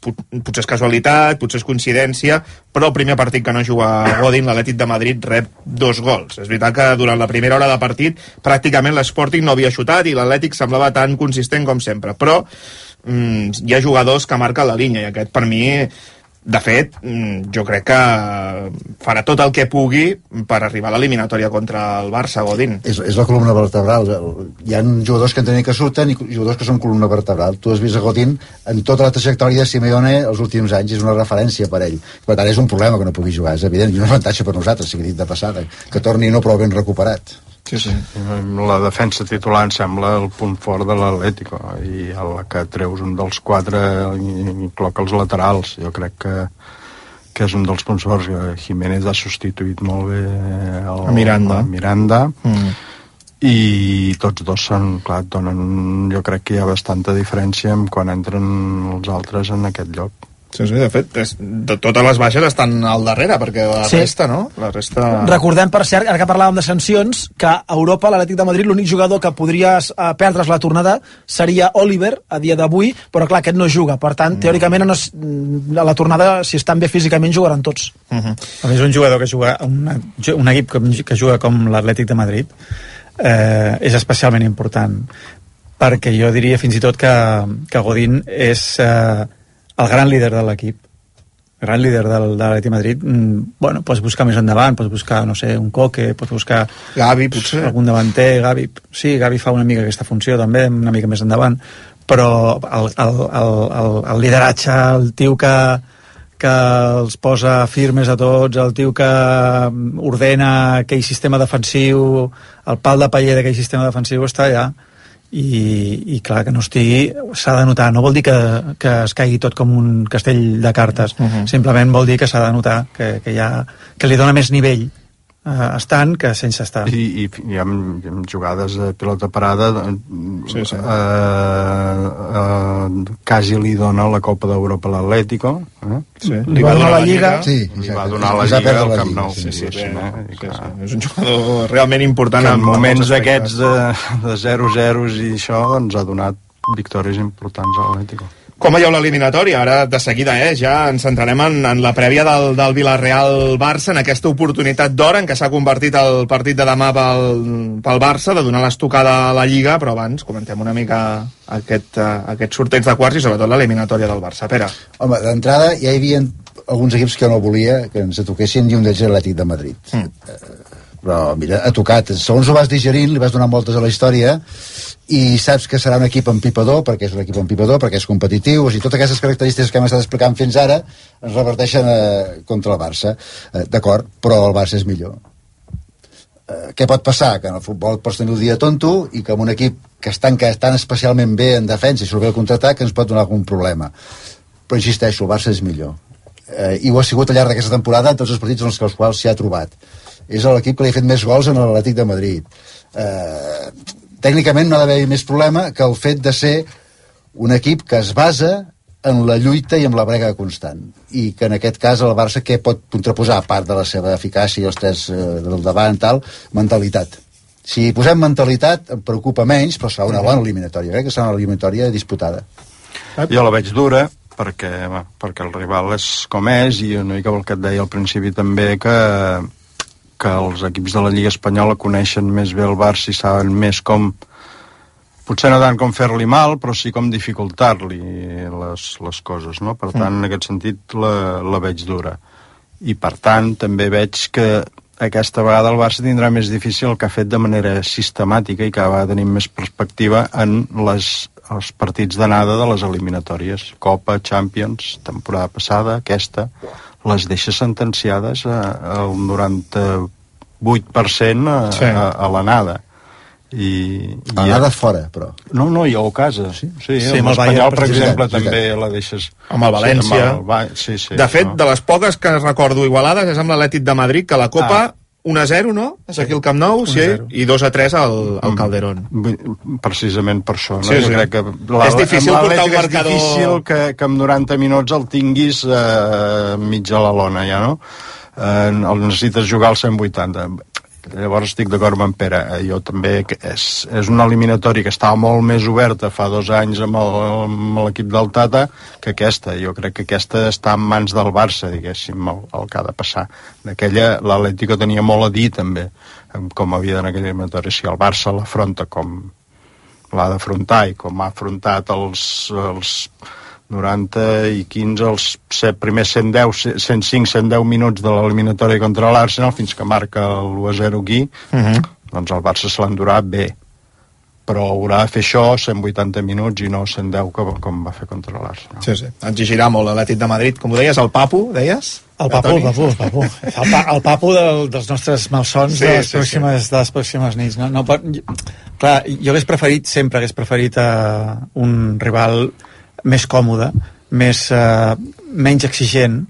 Potser és casualitat, potser és coincidència, però el primer partit que no juga Godín, l'Atlètic de Madrid rep dos gols. És veritat que durant la primera hora de partit pràcticament l'Sporting no havia xutat i l'Atlètic semblava tan consistent com sempre, però mm, hi ha jugadors que marquen la línia i aquest per mi, de fet, jo crec que farà tot el que pugui per arribar a l'eliminatòria contra el Barça, Godín. És, és la columna vertebral. Hi ha jugadors que entenen que surten i jugadors que són columna vertebral. Tu has vist a Godín en tota la trajectòria de Simeone els últims anys, és una referència per ell. Per tant, és un problema que no pugui jugar, és evident, i un avantatge per nosaltres, sigui dit de passada, que torni no prou ben recuperat. Sí, sí. La defensa titular em sembla el punt fort de l'Atlético, i a la que treus un dels quatre i col·loca els laterals, jo crec que que és un dels punts forts. Jiménez ha substituït molt bé el, a Miranda, a Miranda mm. i tots dos són, clar, donen, jo crec que hi ha bastanta diferència en quan entren els altres en aquest lloc. Sí, sí, de fet, és, de totes les baixes estan al darrere, perquè la sí. resta, no? La resta... Recordem, per cert, ara que parlàvem de sancions, que a Europa, l'Atlètic de Madrid, l'únic jugador que podria uh, perdre's la tornada seria Oliver, a dia d'avui, però clar, aquest no juga. Per tant, mm. teòricament, no, a la tornada, si estan bé físicament, jugaran tots. Uh -huh. A més, un jugador que juga, una, un equip que, que juga com l'Atlètic de Madrid, eh, és especialment important, perquè jo diria fins i tot que, que Godín és... Eh, el gran líder de l'equip, gran líder del, de l'Atlètic Madrid, mm, bueno, pots buscar més endavant, pots buscar, no sé, un Coque, pots buscar... Gavi, potser. Algun davanter, Gavi... Sí, Gavi fa una mica aquesta funció, també, una mica més endavant, però el, el, el, el, el lideratge, el tio que, que els posa firmes a tots, el tio que ordena aquell sistema defensiu, el pal de paller d'aquell sistema defensiu està allà. I, i clar, que no estigui s'ha de notar, no vol dir que, que es caigui tot com un castell de cartes, uh-huh. Simplement vol dir que s'ha de notar que, que, ha, que li dona més nivell eh, estant que sense estar. I, i hi, ha, hi ha jugades de pilota parada, sí, sí. Eh, eh, quasi li dona la Copa d'Europa a l'Atlético, eh? Sí. Li, li va donar la Lliga, sí, li va donar la Lliga al Camp Nou. Sí, sí, sí, bé, eh? sí, sí. És un jugador realment important que en moments d'aquests de, de zero zero i això ens ha donat victòries importants a l'Atlético. Com veieu l'eliminatòria? Ara, de seguida, eh, ja ens centrarem en, en la prèvia del, del Villarreal-Barça, en aquesta oportunitat d'or en què s'ha convertit el partit de demà pel, pel Barça, de donar l'estocada a la Lliga, però abans comentem una mica aquest, uh, aquest sorteig de quarts i sobretot l'eliminatòria del Barça. Pere. Home, d'entrada ja hi havia alguns equips que no volia que ens toquessin i un d'ells era l'Atlètic de Madrid. Mm. Però, mira, ha tocat. Segons ho vas digerint, li vas donar moltes a la història i saps que serà un equip empipador, perquè és un equip empipador, perquè és competitiu, o sigui, totes aquestes característiques que hem estat explicant fins ara es reverteixen eh, contra el Barça. Eh, d'acord, però el Barça és millor. Eh, què pot passar? Que en el futbol pots tenir el dia tonto i que amb un equip que es tanca tan especialment bé en defensa i surt bé el contraatac ens pot donar algun problema. Però insisteixo, el Barça és millor. Eh, i ho ha sigut al llarg d'aquesta temporada en tots els partits en els quals s'hi ha trobat. És l'equip que li ha fet més gols en l'Atlètic de Madrid. Eh, tècnicament no ha d'haver més problema que el fet de ser un equip que es basa en la lluita i en la brega constant, i que en aquest cas el Barça què pot contraposar a part de la seva eficàcia i els tres eh, del davant tal, mentalitat. Si posem mentalitat em preocupa menys, però serà una bona eliminatòria, eh? Que serà una eliminatòria disputada. Jo la veig dura perquè, va, perquè el rival és com és, i una mica el que et deia al principi també, que que els equips de la Lliga Espanyola coneixen més bé el Barça i saben més com, potser no tant com fer-li mal, però sí com dificultar-li les, les coses, no? Per tant, en aquest sentit la, la veig dura. I per tant, també veig que aquesta vegada el Barça tindrà més difícil el que ha fet de manera sistemàtica i que va tenir més perspectiva en les, els partits d'anada de les eliminatòries. Copa, Champions, temporada passada, aquesta... les deixa sentenciades al noranta-vuit per cent a, sí. a, a l'anada. I, a l'anada ja... fora, però. No, no, i a casa. Sí, sí, sí amb l'Espanyol, per exemple, sí, també la deixes... Amb el València. Sí, amb el... sí, sí, de fet, no. de les poques que recordo igualades és amb l'Atlètic de Madrid, que la Copa... Ah. un a zero, no? És aquí al Camp Nou, sí, i dos a tres al, al Calderón. Precisament per això, no? Sí, sí. Jo crec que la, és difícil portar un marcador... És difícil que, que en noranta minuts el tinguis eh, mig a la lona, ja, no? Eh, el necessites jugar al cent vuitanta. Llavors estic d'acord amb en Pere. Jo també, és, és una eliminatòria que estava molt més oberta fa dos anys amb l'equip del Tata que aquesta. Jo crec que aquesta està en mans del Barça, diguéssim, el, el que ha de passar. D'aquella, l'Atlético tenia molt a dir també, com havia d'anar aquella eliminatòria. Si el Barça l'afronta com l'ha d'afrontar i com ha afrontat els... els noranta i quinze, els primers cent deu, cent cinc, cent deu minuts de l'eliminatòria contra l'Arsenal, fins que marca l'u a zero aquí, uh-huh. Doncs el Barça se l'endurà bé. Però haurà de fer això cent vuitanta minuts i no cent deu com, com va fer contra l'Arsenal. Sí, sí. Exigirà molt l'Atlètic de Madrid. Com ho deies, el Papu, deies? El Papu, el Papu, el Papu. El, pa, el Papu del, dels nostres malsons sí, de, les pròximes, sí, sí. de les pròximes nits. No, no pot... Clar, jo hagués preferit, sempre hagués preferit uh, un rival més còmode, més, uh, menys exigent,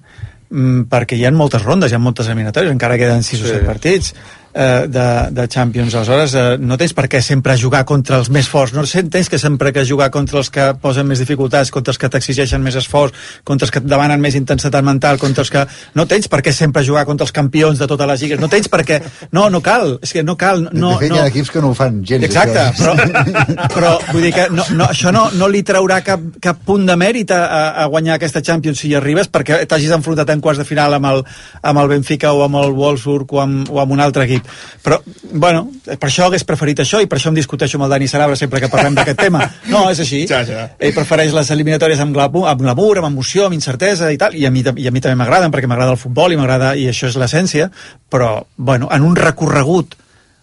mm, perquè hi ha moltes rondes, hi ha moltes eliminatòries, encara queden sis sí. o set partits eh, de, de Champions. Aleshores, eh, no tens per què sempre jugar contra els més forts, no tens que sempre que jugar contra els que posen més dificultats, contra els que t'exigeixen més esforç, contra els que et demanen més intensitat mental, contra els que... No tens per què sempre jugar contra els campions de totes les lligues, no tens per què... No, no cal, és que no cal... No, de fet, no... hi ha equips que no ho fan gens. Exacte, però, però vull dir que no, no, això no, no li traurà cap, cap punt de mèrit a, a guanyar aquesta Champions si hi arribes, perquè t'hagis enfrontat en quarts de final amb el, amb el Benfica o amb el Wolfsburg o amb, o amb un altre equip. Madrid. Però, bueno, per això hagués preferit això i per això em discuteixo amb el Dani Sanabra sempre que parlem d'aquest tema. No, és així. Ja, ja. Ell prefereix les eliminatòries amb glamour, amb, glamour, amb emoció, amb incertesa i tal, i a mi, i a mi també m'agraden perquè m'agrada el futbol i m'agrada, i això és l'essència, però, bueno, en un recorregut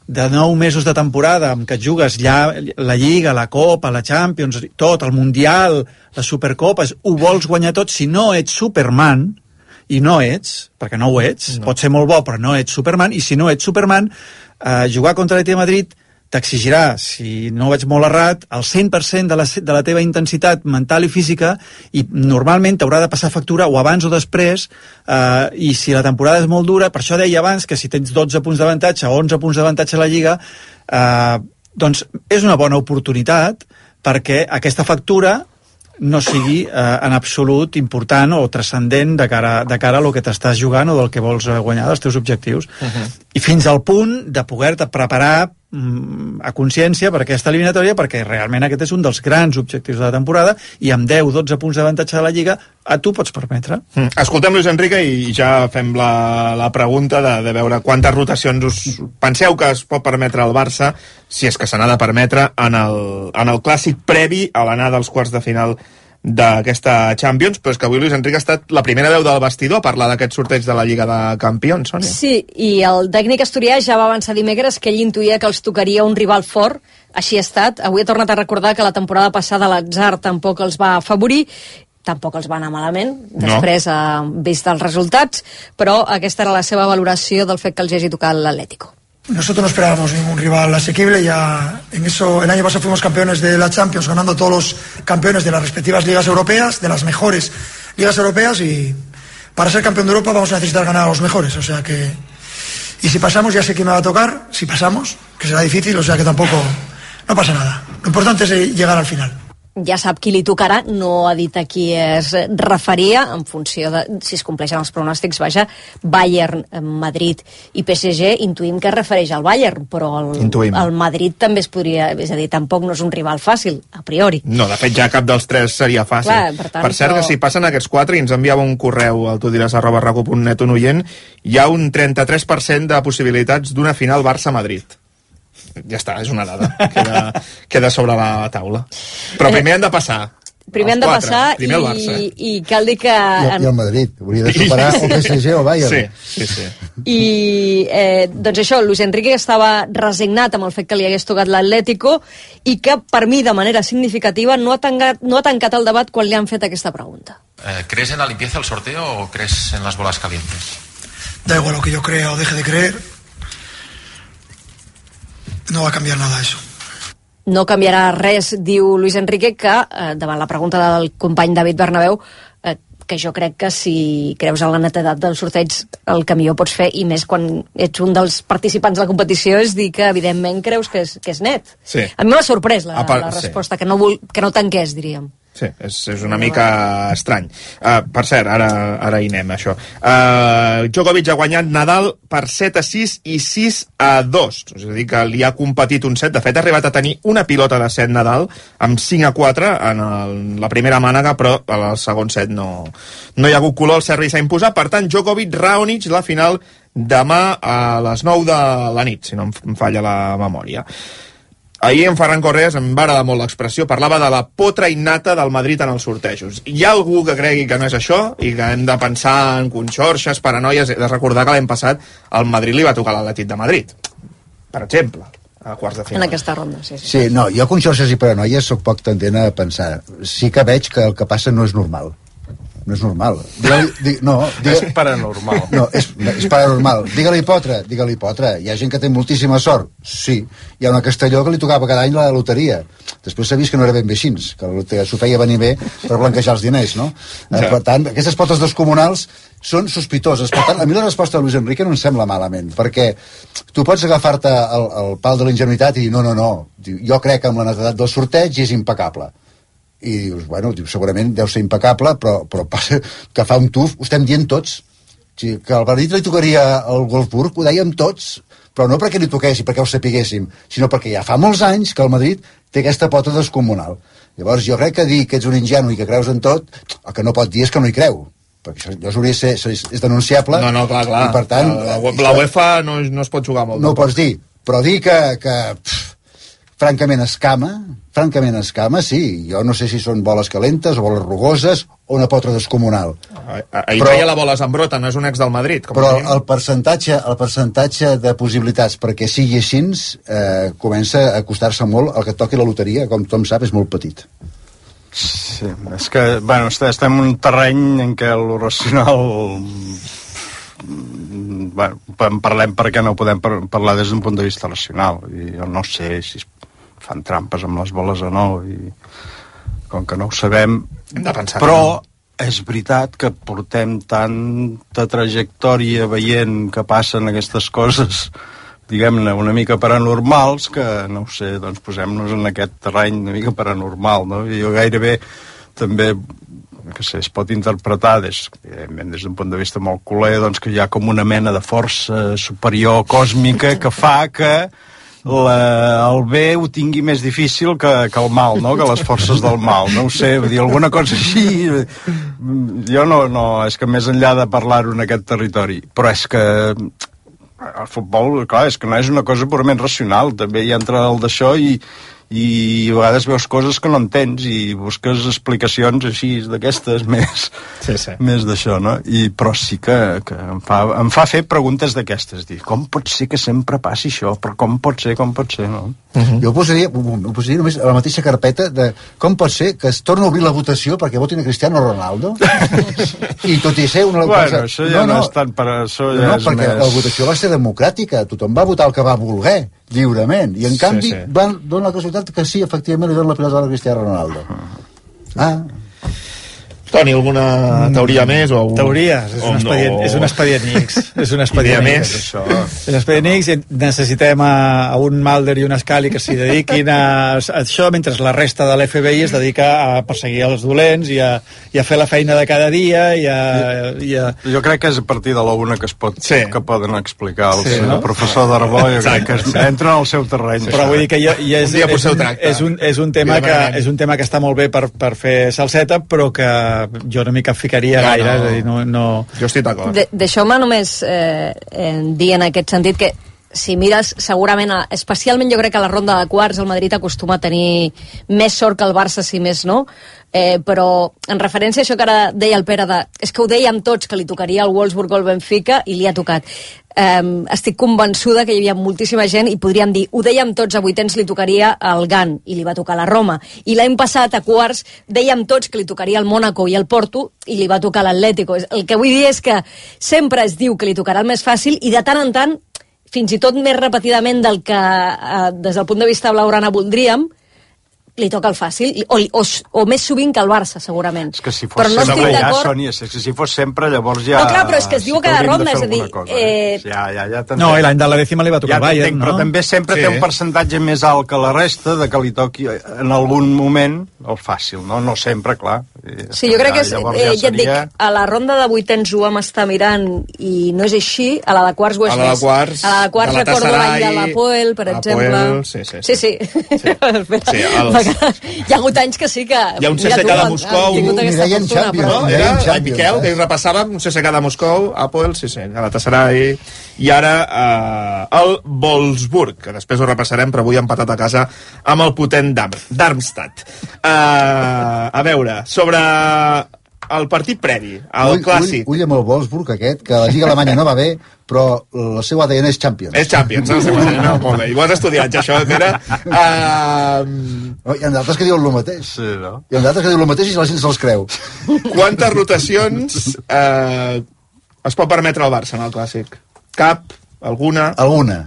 de nou mesos de temporada en què et jugues ja la Lliga, la Copa, la Champions, tot, el Mundial, les Supercopes, ho vols guanyar tot. Si no ets Superman, i no ets, perquè no ho ets, no. Pot ser molt bo, però no ets Superman, i si no ets Superman, eh, jugar contra l'Atlètic de Madrid t'exigirà, si no ho veig molt errat, el cent per cent de la, de la teva intensitat mental i física, i normalment t'haurà de passar factura o abans o després, eh, i si la temporada és molt dura, per això deia abans que si tens dotze punts d'avantatge o onze punts d'avantatge a la Lliga, eh, doncs és una bona oportunitat perquè aquesta factura no sigui eh, en absolut important o transcendent de cara, de cara a lo que t'estàs jugant o del que vols guanyar, dels teus objectius. Uh-huh. I fins al punt de poder-te preparar mm, a consciència per aquesta eliminatòria, perquè realment aquest és un dels grans objectius de la temporada, i amb deu dotze punts d'avantatge de la Lliga a tu pots permetre. Mm. Escoltem Luis Enrique i ja fem la, la pregunta de, de veure quantes rotacions us penseu que es pot permetre al Barça, si és que se n'ha de permetre, en el, en el clàssic previ a l'anada als quarts de final d'aquesta Champions, però és que avui Luis Enrique ha estat la primera veu del vestidor a parlar d'aquest sorteig de la Lliga de Campions, Sònia. Sí, i el tècnic asturià ja va avançar dimecres que ell intuïa que els tocaria un rival fort, així ha estat. Avui ha tornat a recordar que la temporada passada l'atzar tampoc els va afavorir, tampoc els va anar malament, després no. ha vist els resultats, però aquesta era la seva valoració del fet que els hagi tocat l'Atlético. Nosotros no esperábamos ningún rival asequible, ya en eso el año pasado fuimos campeones de la Champions, ganando todos los campeones de las respectivas ligas europeas, de las mejores ligas europeas, y para ser campeón de Europa vamos a necesitar ganar a los mejores, o sea que, y si pasamos ya sé quién me va a tocar, si pasamos, que será difícil, o sea que tampoco, no pasa nada, lo importante es llegar al final. Ja sap qui li tocarà, no ha dit a qui es referia, en funció de si es compleixen els pronòstics, vaja, Bayern, Madrid i P S G, intuïm que es refereix al Bayern, però el, el Madrid també es podria, és a dir, tampoc no és un rival fàcil, a priori. No, de fet ja cap dels tres seria fàcil. Clar, per tant, per cert, però... que si passen aquests quatre i ens enviava un correu al tu diràs arroba raco punt net un oient, hi ha un trenta-tres per cent de possibilitats d'una final Barça-Madrid. Ja està, és una dada. Queda, queda sobre la taula. Però primer han de passar. Primer han de quatre. passar primer i, Barça, eh? i cal dir que... I, i el Madrid. Hauria de superar el P S G o el Bayern. Sí, sí, sí. I, eh, doncs això, Luis Enrique estava resignat amb el fet que li hagués tocat l'Atlético i que, per mi, de manera significativa, no ha tancat, no ha tancat el debat quan li han fet aquesta pregunta. Eh, ¿Crees en la limpieza del sorteo o crees en las bolas calientes? Da igual lo que yo crea o deje de creer, no va a cambiar nada eso. No canviarà res, diu Luis Enrique, que eh, davant la pregunta del company David Bernabéu, eh, que jo crec que si creus en la netedat del sorteig el que millor pots fer, i més quan ets un dels participants de la competició, és dir que evidentment creus que és, que és net. Sí. A mi m'ha sorprès la, part, la resposta, sí. que, no vol, que no tanqués, diríem. Sí, és, és una mica estrany. Uh, per cert, ara, ara hi anem, això. Uh, Djokovic ha guanyat Nadal per set a sis i sis a dos. És a dir, que li ha competit un set. De fet, ha arribat a tenir una pilota de set Nadal amb cinc a quatre en el, la primera mànega, però al segon set no, no hi ha hagut color, el servei s'ha imposat. Per tant, Djokovic-Raonic, la final demà a les nou de la nit, si no em falla la memòria. Ahir en Ferran Correas, em va agradar molt l'expressió, parlava de la potra innata del Madrid en els sortejos. Hi ha algú que cregui que no és això i que hem de pensar en conxorxes, paranoies? He de recordar que l'any passat el Madrid li va tocar l'Atlètic de Madrid, per exemple, a quarts de final. En aquesta ronda, sí. Sí, sí no, jo conxorxes i paranoies soc poc tendent a pensar. Sí que veig que el que passa no és normal. No és normal. Digue-li, di, no, digue, és paranormal. No, és, és paranormal. Digue-li potre, digue-li potre. Hi ha gent que té moltíssima sort. Sí. Hi ha una Castelló que li tocava cada any la loteria. Després s'ha vist que no era ben bé així, que s'ho feia venir bé per blanquejar els diners, no? Ja. Per tant, aquestes potes descomunals són sospitoses. Per tant, a mi la resposta de Luis Enrique no em sembla malament, perquè tu pots agafar-te el, el pal de la ingenuïtat i dir, no, no, no, jo crec que amb la netedat del sorteig és impecable. I dius, bueno, segurament deu ser impecable, però, però passa que fa un tuf, ho estem dient tots. Que al Madrid li tocaria el Wolfsburg, ho dèiem tots, però no perquè li toqués i perquè ho sapiguéssim, sinó perquè ja fa molts anys que el Madrid té aquesta pota descomunal. Llavors jo crec que dir que ets un ingenu i que creus en tot, el que no pot dir és que no hi creu, perquè això, això hauria de ser, és, és denunciable. No, no, clar, clar. I per tant... La, la, la UEFA no, no es pot jugar molt. No ho pots dir, però dir que, que pff, francament escama, francament escama, sí. Jo no sé si són boles calentes o boles rugoses o una potra descomunal. Ahir feia la bola Zambrota, no és un ex del Madrid. Com però el percentatge, el percentatge de possibilitats perquè sigui així eh, comença a costar-se molt el que toqui la loteria, com tothom sap, és molt petit. Sí, és que, bueno, estem en un terreny en què el racional... Bueno, en parlem perquè no podem parlar des d'un punt de vista racional. I jo no sé si fan trampes amb les boles o no, i com que no ho sabem... Hem de pensar però és veritat que portem tanta trajectòria veient que passen aquestes coses, diguem-ne, una mica paranormals, que, no ho sé, doncs posem-nos en aquest terreny una mica paranormal, no? I jo gairebé també, que sé, es pot interpretar des, des d'un punt de vista molt culer, doncs que hi ha com una mena de força superior còsmica que fa que la, el bé ho tingui més difícil que, que el mal, no? Que les forces del mal, no ho sé, vull dir, alguna cosa així. Jo no, no, és que més enllà de parlar-ho en aquest territori, però és que el futbol, clar, és que no és una cosa purament racional, també hi entra el d'això i, i a vegades veus coses que no entens i busques explicacions així d'aquestes més, sí, sí. més d'això, no? I, però sí que, que em, fa, em fa fer preguntes d'aquestes, dir, com pot ser que sempre passi això, però com pot ser, com pot ser, no? Uh-huh. Jo ho posaria, ho posaria només a la mateixa carpeta de com pot ser que es torni a obrir la votació perquè votin a Cristiano Ronaldo i tot i ser una bueno, cosa... això ja no, no, no és tant per això, ja no, és perquè més... la votació va ser democràtica, tothom va votar el que va voler lliurement, i en Sí, canvi sí. van donar la casualitat que sí, efectivament li donen la pilota a Cristiano Ronaldo. Ah, Toni, alguna teoria més? O... Teories, és un expedient, és un expedient X. És un expedient Idea X. més? Això. És un expedient X i necessitem a, a un Mulder i un Scully que s'hi dediquin a, a això, mentre la resta de l'F B I es dedica a perseguir els dolents i a, i a fer la feina de cada dia i a... I a... Jo crec que és a partir de la una que es pot, sí. que poden explicar el, Sí, sí, no? el professor d'Arbó, jo crec que es, entra al seu terreny. Però vull dir que ja, ja és, Un dia és, potser ho un, tracta. és, un, és, un tema que, és un tema que està molt bé per, per fer salseta, però que jo no m'hi capficaria No, gaire. no. És a dir, no, no... Jo estic d'acord. De- Deixeu-me només eh, eh, dir en aquest sentit que si mires, segurament, a- especialment jo crec que a la ronda de quarts el Madrid acostuma a tenir més sort que el Barça, si més no, eh, però en referència a això que ara deia el Pere, de, és que ho dèiem tots, que li tocaria al Wolfsburg o al Benfica, i li ha tocat. Eh, estic convençuda que hi havia moltíssima gent i podríem dir, ho dèiem tots, a vuitens li tocaria al Gant i li va tocar la Roma, i l'any passat a quarts dèiem tots que li tocaria al Mónaco i al Porto i li va tocar l'Atlético. El que vull dir és que sempre es diu que li tocarà el més fàcil i de tant en tant, fins i tot més repetidament del que eh, des del punt de vista blaugrana voldríem, li toca el fàcil, o, o, o més sovint que el Barça, segurament. És que si fos però no sempre estic ja, d'acord... Sònia, és que si fos sempre, llavors ja... No, clar, però és que es diu sí cada hauríem ronda, de és a fer dir... alguna cosa, Eh... Ja, ja, ja t'entenc. No, i l'any de la dècima li va tocar ja el Bayern, t'entenc, no? però també sempre Sí. té un percentatge més alt que la resta de que li toqui en algun moment el fàcil, no? No sempre, clar. Sí, jo crec que és, Llavors eh, ja ja et dic, seria... a la ronda de vuitens ho vam estar mirant i no és així, a la de quarts ho és A la de més. quarts, a la de quarts recordo l'any de l'Apoel, per Apoel, exemple. sí, sí, Sí, sí. Sí. Espera, Sí, els- hi ha hagut anys que sí que... Hi ha un mira C S K tu, de han- Moscou, han tingut aquesta Mireia en fortuna, Champions, però- No, Mireia era en el Champions, Miquel, eh? que hi repassàvem un C S K de Moscou, Apoel, sí, sí, Galatasaray, i ara eh, el Wolfsburg, que després ho repassarem, però avui ha empatat a casa amb el potent Darm- Darmstadt. Eh, a veure, sobre el partit previ, el ull, clàssic. Ull, ull amb el Wolfsburg aquest, que la Lliga Alemanya no va bé, però el seu A D N és Champions. És Champions, no? no molt bé. I ho has estudiat, ja, això, Pere. Uh, Oh, hi ha d'altres que diuen el mateix. Sí, no? Hi ha d'altres que diuen el mateix i la gent se'ls creu. quantes rotacions eh, es pot permetre al Barça en el clàssic? Cap? Alguna? Alguna.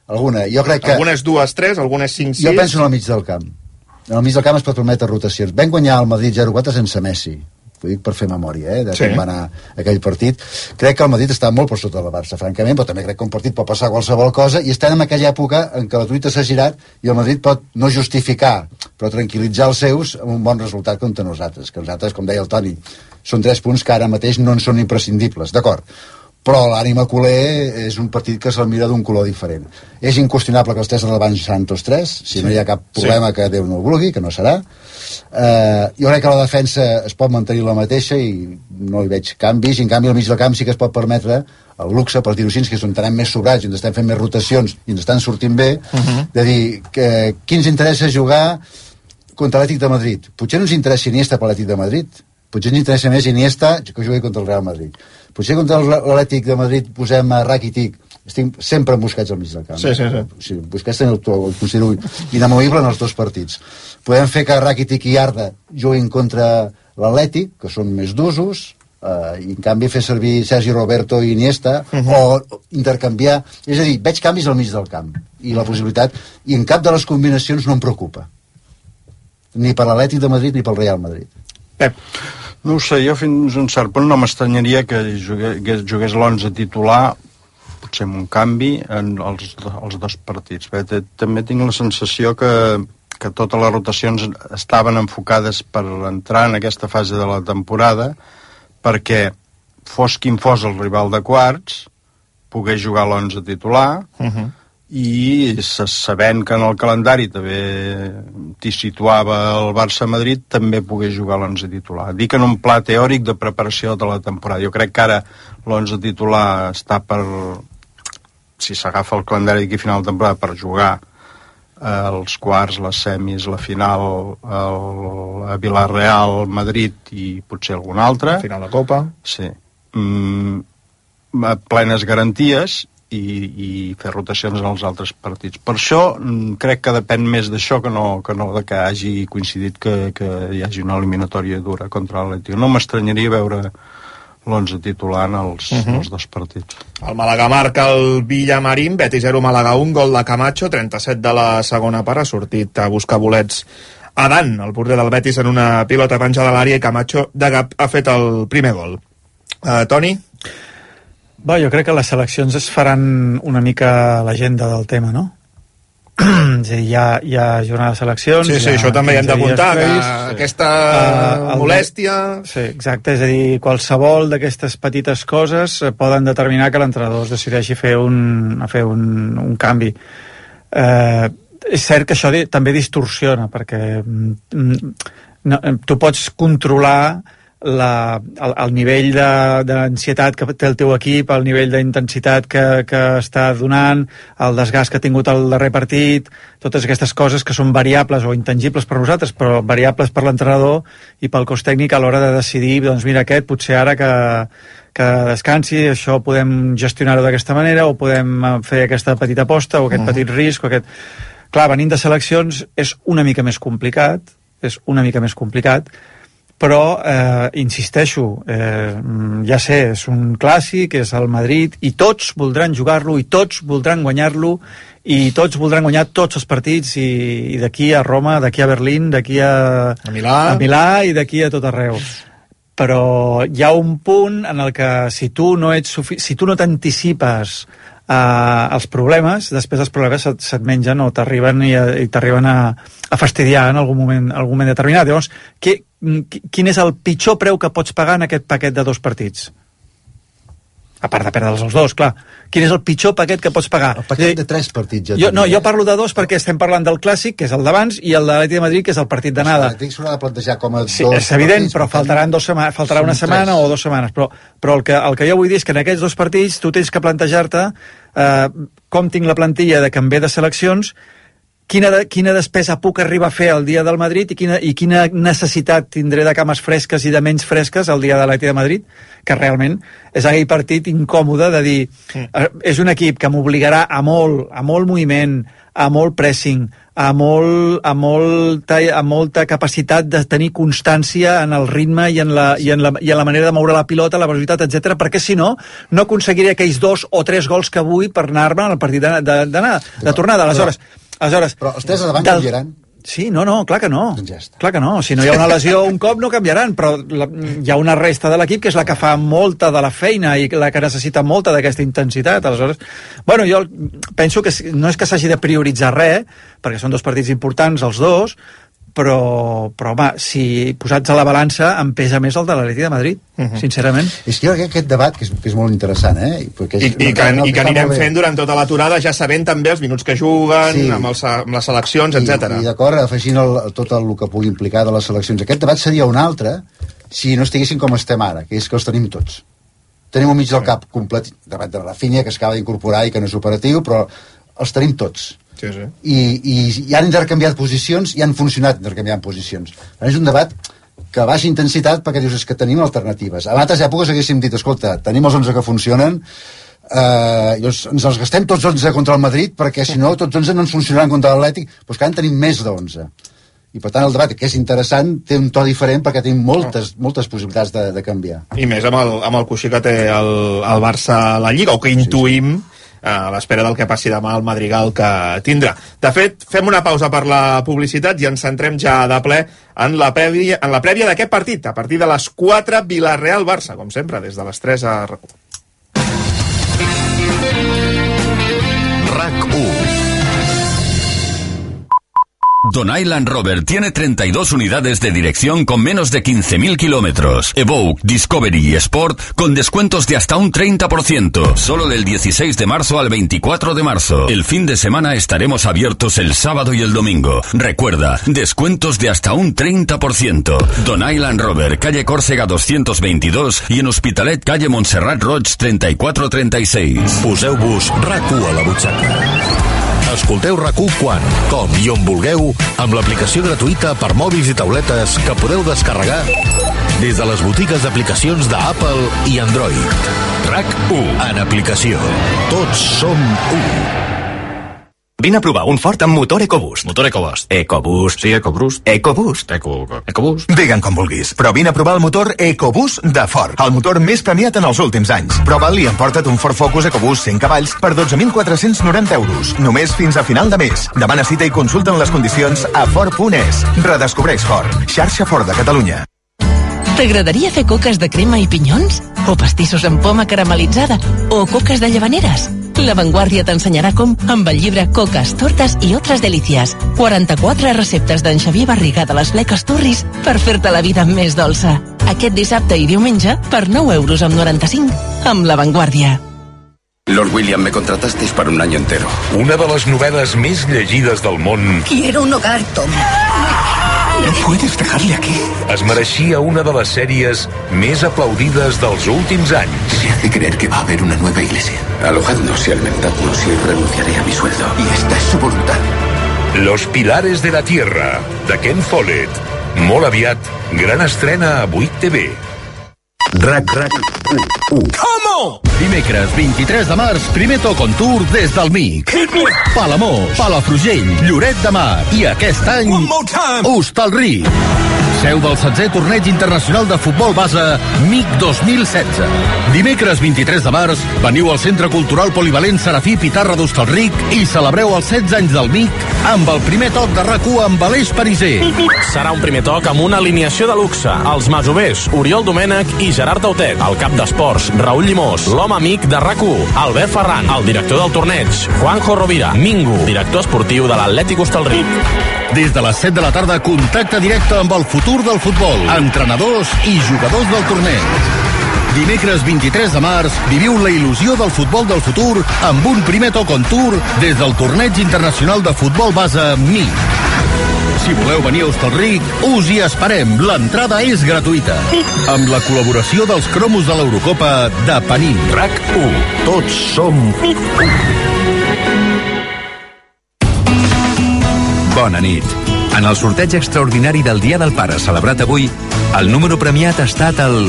Alguna. Jo crec que... Algunes dues, tres, algunes cinc, sis. Jo penso en el mig del camp. En el mig del camp es pot permetre rotacions. Vam guanyar el Madrid zero quatre sense Messi. Ho dic per fer memòria, eh, de Sí. com va anar aquell partit. Crec que el Madrid està molt per sota del Barça, francament, però també crec que un partit pot passar qualsevol cosa, i estem en aquella època en què la truita s'ha girat i el Madrid pot no justificar, però tranquil·litzar els seus amb un bon resultat contra nosaltres, que nosaltres, com deia el Toni, són tres punts que ara mateix no en són imprescindibles, d'acord. però l'ànima culer és un partit que se'l mira d'un color diferent. És inqüestionable que els tres davant seran tots tres, si sí. no hi ha cap problema sí. que Déu no ho vulgui, que no serà. Uh, jo crec que la defensa es pot mantenir la mateixa i no hi veig canvis, i en canvi al mig del camp sí que es pot permetre el luxe, per dir-ho així, que és on tenem més sobrats i ens estem fent més rotacions i ens estan sortint bé, uh-huh. de dir que, qui ens interessa jugar contra l'Atlètic de Madrid. Potser no ens interessa Iniesta per l'Atlètic de Madrid, potser ens interessa més Iniesta que jugui contra el Real Madrid. Potser contra l'Atlètic de Madrid posem a Rakitic, estic sempre en Busquets al mig del camp. Sí, sí, sí. sí Busquets el, el considero inamovible en els dos partits. Podem fer que Rakitic i Arda juguin contra l'Atlètic, que són més d'usos, eh, i en canvi fer servir Sergi Roberto i Iniesta, uh-huh. o intercanviar. És a dir, veig canvis al mig del camp, i la possibilitat, i en cap de les combinacions no em preocupa. Ni per l'Atlètic de Madrid ni pel Real Madrid. Pep. No ho sé, jo fins a un cert punt no m'estranyaria que jugués, jugués l'onze titular, potser amb un canvi, en els, els dos partits. Bé, també tinc la sensació que, que totes les rotacions estaven enfocades per entrar en aquesta fase de la temporada, perquè fos quin fos el rival de quarts, pogués jugar l'onze titular, uh-huh. i sabent que en el calendari també t'hi situava el Barça-Madrid, també pogués jugar l'onze titular. Dic en un pla teòric de preparació de la temporada. Jo crec que ara l'onze titular està per, si s'agafa el calendari d'aquí final de temporada, per jugar eh, els quarts, les semis, la final el, a Villarreal, Madrid i potser algun altre. Final de Copa. Sí. Mm, plenes garanties, I, i fer rotacions en els altres partits. Per això crec que depèn més d'això que no, que no de que hagi coincidit que, que hi hagi una eliminatòria dura contra l'Atlètic. No m'estranyaria veure l'onze titular en els, uh-huh. els dos partits. El Màlaga marca el Villamarín, Betis zero, Màlaga un, gol de Camacho, trenta-set de la segona part, ha sortit a buscar bolets a Dan, el porter del Betis, en una pilota penjada a l'àrea, i Camacho de Gap ha fet el primer gol. Uh, Toni? Bé, jo crec que les seleccions es faran una mica l'agenda del tema, no? És a dir, hi ha, hi ha jornada de seleccions... Sí, sí, això també hi hem d'apuntar, que sí. aquesta uh, molèstia... Sí, exacte, és a dir, qualsevol d'aquestes petites coses poden determinar que l'entrenador es decideixi fer un, a fer un, un canvi. Uh, és cert que això també distorsiona, perquè mm, no, tu pots controlar La, el, el nivell d'ansietat que té el teu equip, el nivell d'intensitat que, que està donant, el desgast que ha tingut el darrer partit, totes aquestes coses que són variables o intangibles per nosaltres, però variables per l'entrenador i pel cos tècnic a l'hora de decidir, doncs mira, aquest potser ara que, que descansi, això podem gestionar-ho d'aquesta manera, o podem fer aquesta petita aposta, o aquest mm. petit risc, o aquest... Clar, venint de seleccions és una mica més complicat, és una mica més complicat, però, eh, insisteixo, eh, ja sé, és un clàssic, és el Madrid, i tots voldran jugar-lo, i tots voldran guanyar-lo, i tots voldran guanyar tots els partits, i, i d'aquí a Roma, d'aquí a Berlín, d'aquí a, a, Milà. a Milà i d'aquí a tot arreu. Però hi ha un punt en el que si tu no ets sufi- si tu no t'anticipes uh, els problemes, després els problemes se't, se't mengen o t'arriben i, i t'arriben a, a fastidiar en algun moment, algun moment determinat. Llavors, què quin és el pitjor preu que pots pagar en aquest paquet de dos partits? A part de perdre'ls els dos, clar. Quin és el pitjor paquet que pots pagar? El paquet de tres partits. Ja jo, no, jo parlo de dos perquè estem parlant del clàssic, que és el d'abans, i el de l'Atlètic de Madrid, que és el partit d'anada. L'Atlètic s'haurà de plantejar com a sí, dos és evident, partits, però faltaran dos setmanes, faltarà una setmana tres. o dues setmanes. Però, però el, que, el que jo vull dir és que en aquests dos partits tu tens que plantejar-te eh, com tinc la plantilla de canviar de seleccions, Quina, de, quina despesa puc arribar a fer el dia del Madrid i quina, i quina necessitat tindré de cames fresques i de menys fresques el dia de l'Atlètic de Madrid, que realment és aquell partit incòmode de dir mm. eh, és un equip que m'obligarà a molt, a molt moviment, a molt pressing, a, molt, a, molta, a molta capacitat de tenir constància en el ritme i en la, i en la, i en la manera de moure la pilota, la velocitat, etcètera, perquè si no, no aconseguiré aquells dos o tres gols que vull per anar-me al partit de, de, de, de, de tornada. Aleshores, Aleshores, però els tres de davant del... canviaran? Sí, no, no, clar que no. Ja clar que no. Si no hi ha una lesió un cop no canviaran, però la, hi ha una resta de l'equip que és la que fa molta de la feina i la que necessita molta d'aquesta intensitat. Aleshores, bueno, jo penso que no és que s'hagi de prioritzar res, perquè són dos partits importants els dos, però, però home, si posats a la balança em pesa més el de l'Atlètic de Madrid, uh-huh. sincerament. És que jo crec que aquest debat, que és, que és molt interessant, eh? Perquè és, I, i, que, no, i que anirem fent durant tota l'aturada, ja sabent també els minuts que juguen, sí. amb, els, amb les seleccions, etcètera. I, i d'acord, afegint el, tot el que pugui implicar de les seleccions. Aquest debat seria un altre si no estiguessin com estem ara, que és que els tenim tots. Tenim un mig del cap complet, davant de Rafinha, que s'acaba d'incorporar i que no és operatiu, però els tenim tots. Sí, sí. I, i, i han intercanviat posicions i han funcionat intercanviant posicions. És un debat que baixa intensitat perquè dius és que tenim alternatives. A altres èpoques haguéssim dit, escolta, tenim els onze que funcionen, eh, llavors ens els gastem tots onze contra el Madrid perquè si no tots onze no ens funcionaran contra l'Atlètic, doncs que ara en tenim més d'onze. I per tant el debat, que és interessant, té un to diferent perquè tenim moltes, moltes possibilitats de, de canviar. I més amb el, amb el coixí que té el, el Barça a la Lliga, o que intuïm sí, sí. a l'espera del que passi demà al Madrigal que tindrà. De fet, fem una pausa per la publicitat i ens centrem ja de ple en la prèvia, en la prèvia d'aquest partit, a partir de les quatre, Villarreal-Barça, com sempre, des de les tres a RAC u. RAC u. Don Island Rover tiene treinta y dos unidades de dirección con menos de quince mil kilómetros. Evoque, Discovery y Sport con descuentos de hasta un treinta por ciento. Solo del dieciséis de marzo al veinticuatro de marzo. El fin de semana estaremos abiertos el sábado y el domingo. Recuerda, descuentos de hasta un treinta por ciento. Don Island Rover, calle Còrsega doscientos veintidós y en Hospitalet, calle Montserrat Roig treinta y cuatro treinta y seis. Poseu-vos RAC u a la butxaca. Escolteu RAC u quan, com i on vulgueu amb l'aplicació gratuïta per mòbils i tauletes que podeu descarregar des de les botigues d'aplicacions d'Apple i Android. RAC u en aplicació. Tots som u. Vine a provar un Ford amb motor EcoBoost. Motor EcoBoost. EcoBoost. Sí, EcoBoost. EcoBoost. Eco... EcoBoost. Digue'n com vulguis, però vine a provar el motor EcoBoost de Ford, el motor més premiat en els últims anys. Prova'l i emporta't un Ford Focus EcoBoost cent cavalls per dotze mil quatre-cents noranta euros, només fins a final de mes. Demana cita i consulta'n les condicions a Ford punt es. Redescobreix Ford, xarxa Ford de Catalunya. T'agradaria fer coques de crema i pinyons? O pastissos amb poma caramelitzada? O coques de llavaneres? La Vanguardia t'ensenyarà com amb el llibre Coques, Tortes i Otras Delicias. quaranta-quatre receptes d'en Xavier Barriga de les Bleques Turris per fer-te la vida més dolça. Aquest dissabte i diumenge per nou euros amb noranta-cinc amb La Vanguardia. Lord William, me contratasteis para un año entero. Una de les novel·les més llegides del món. Quiero un hogar, Tom. No puedes dejarle aquí. Es mereixia una de les sèries més aplaudides dels últims anys. Se hace creer que va a haber una nueva iglesia. Alojadnos y alimentadnos y renunciaré a mi sueldo. Y esta es su voluntad. Los Pilares de la Tierra, de Ken Follett. Molt aviat, gran estrena a vuit T V. RAC, RAC, u. Come Dimecres vint-i-tres de març, primer toc on tour des del M I C. Palamós, Palafrugell, Lloret de Mar i aquest any Hostalric. Seu del setzè torneig internacional de futbol base M I C dos mil setze. Dimecres vint-i-tres de març, veniu al Centre Cultural Polivalent Serafí Pitarra d'Hostalric i celebreu els setze anys del M I C amb el primer toc de RAC u amb Aleix Pariser. Serà un primer toc amb una alineació de luxe. Els masovers, Oriol Domènech i Gerard Tautet. El cap d'esports, Raül Llimós. L'home amic de RAC u, Albert Ferran. El director del torneig, Juanjo Rovira. Mingo, director esportiu de l'Atlètic Hostalric. Des de les set de la tarda, contacte directe amb el futur del futbol, entrenadors i jugadors del torneig. Dimecres vint-i-tres de març, viviu la il·lusió del futbol del futur amb un primer toc on tour des del torneig internacional de futbol base M I C. Si voleu venir a Hostalric, us hi esperem. L'entrada és gratuïta. Amb la col·laboració dels cromos de l'Eurocopa de Panini. RAC u. Tots som u. Bona nit. En el sorteig extraordinari del Dia del Pare celebrat avui, el número premiat ha estat el...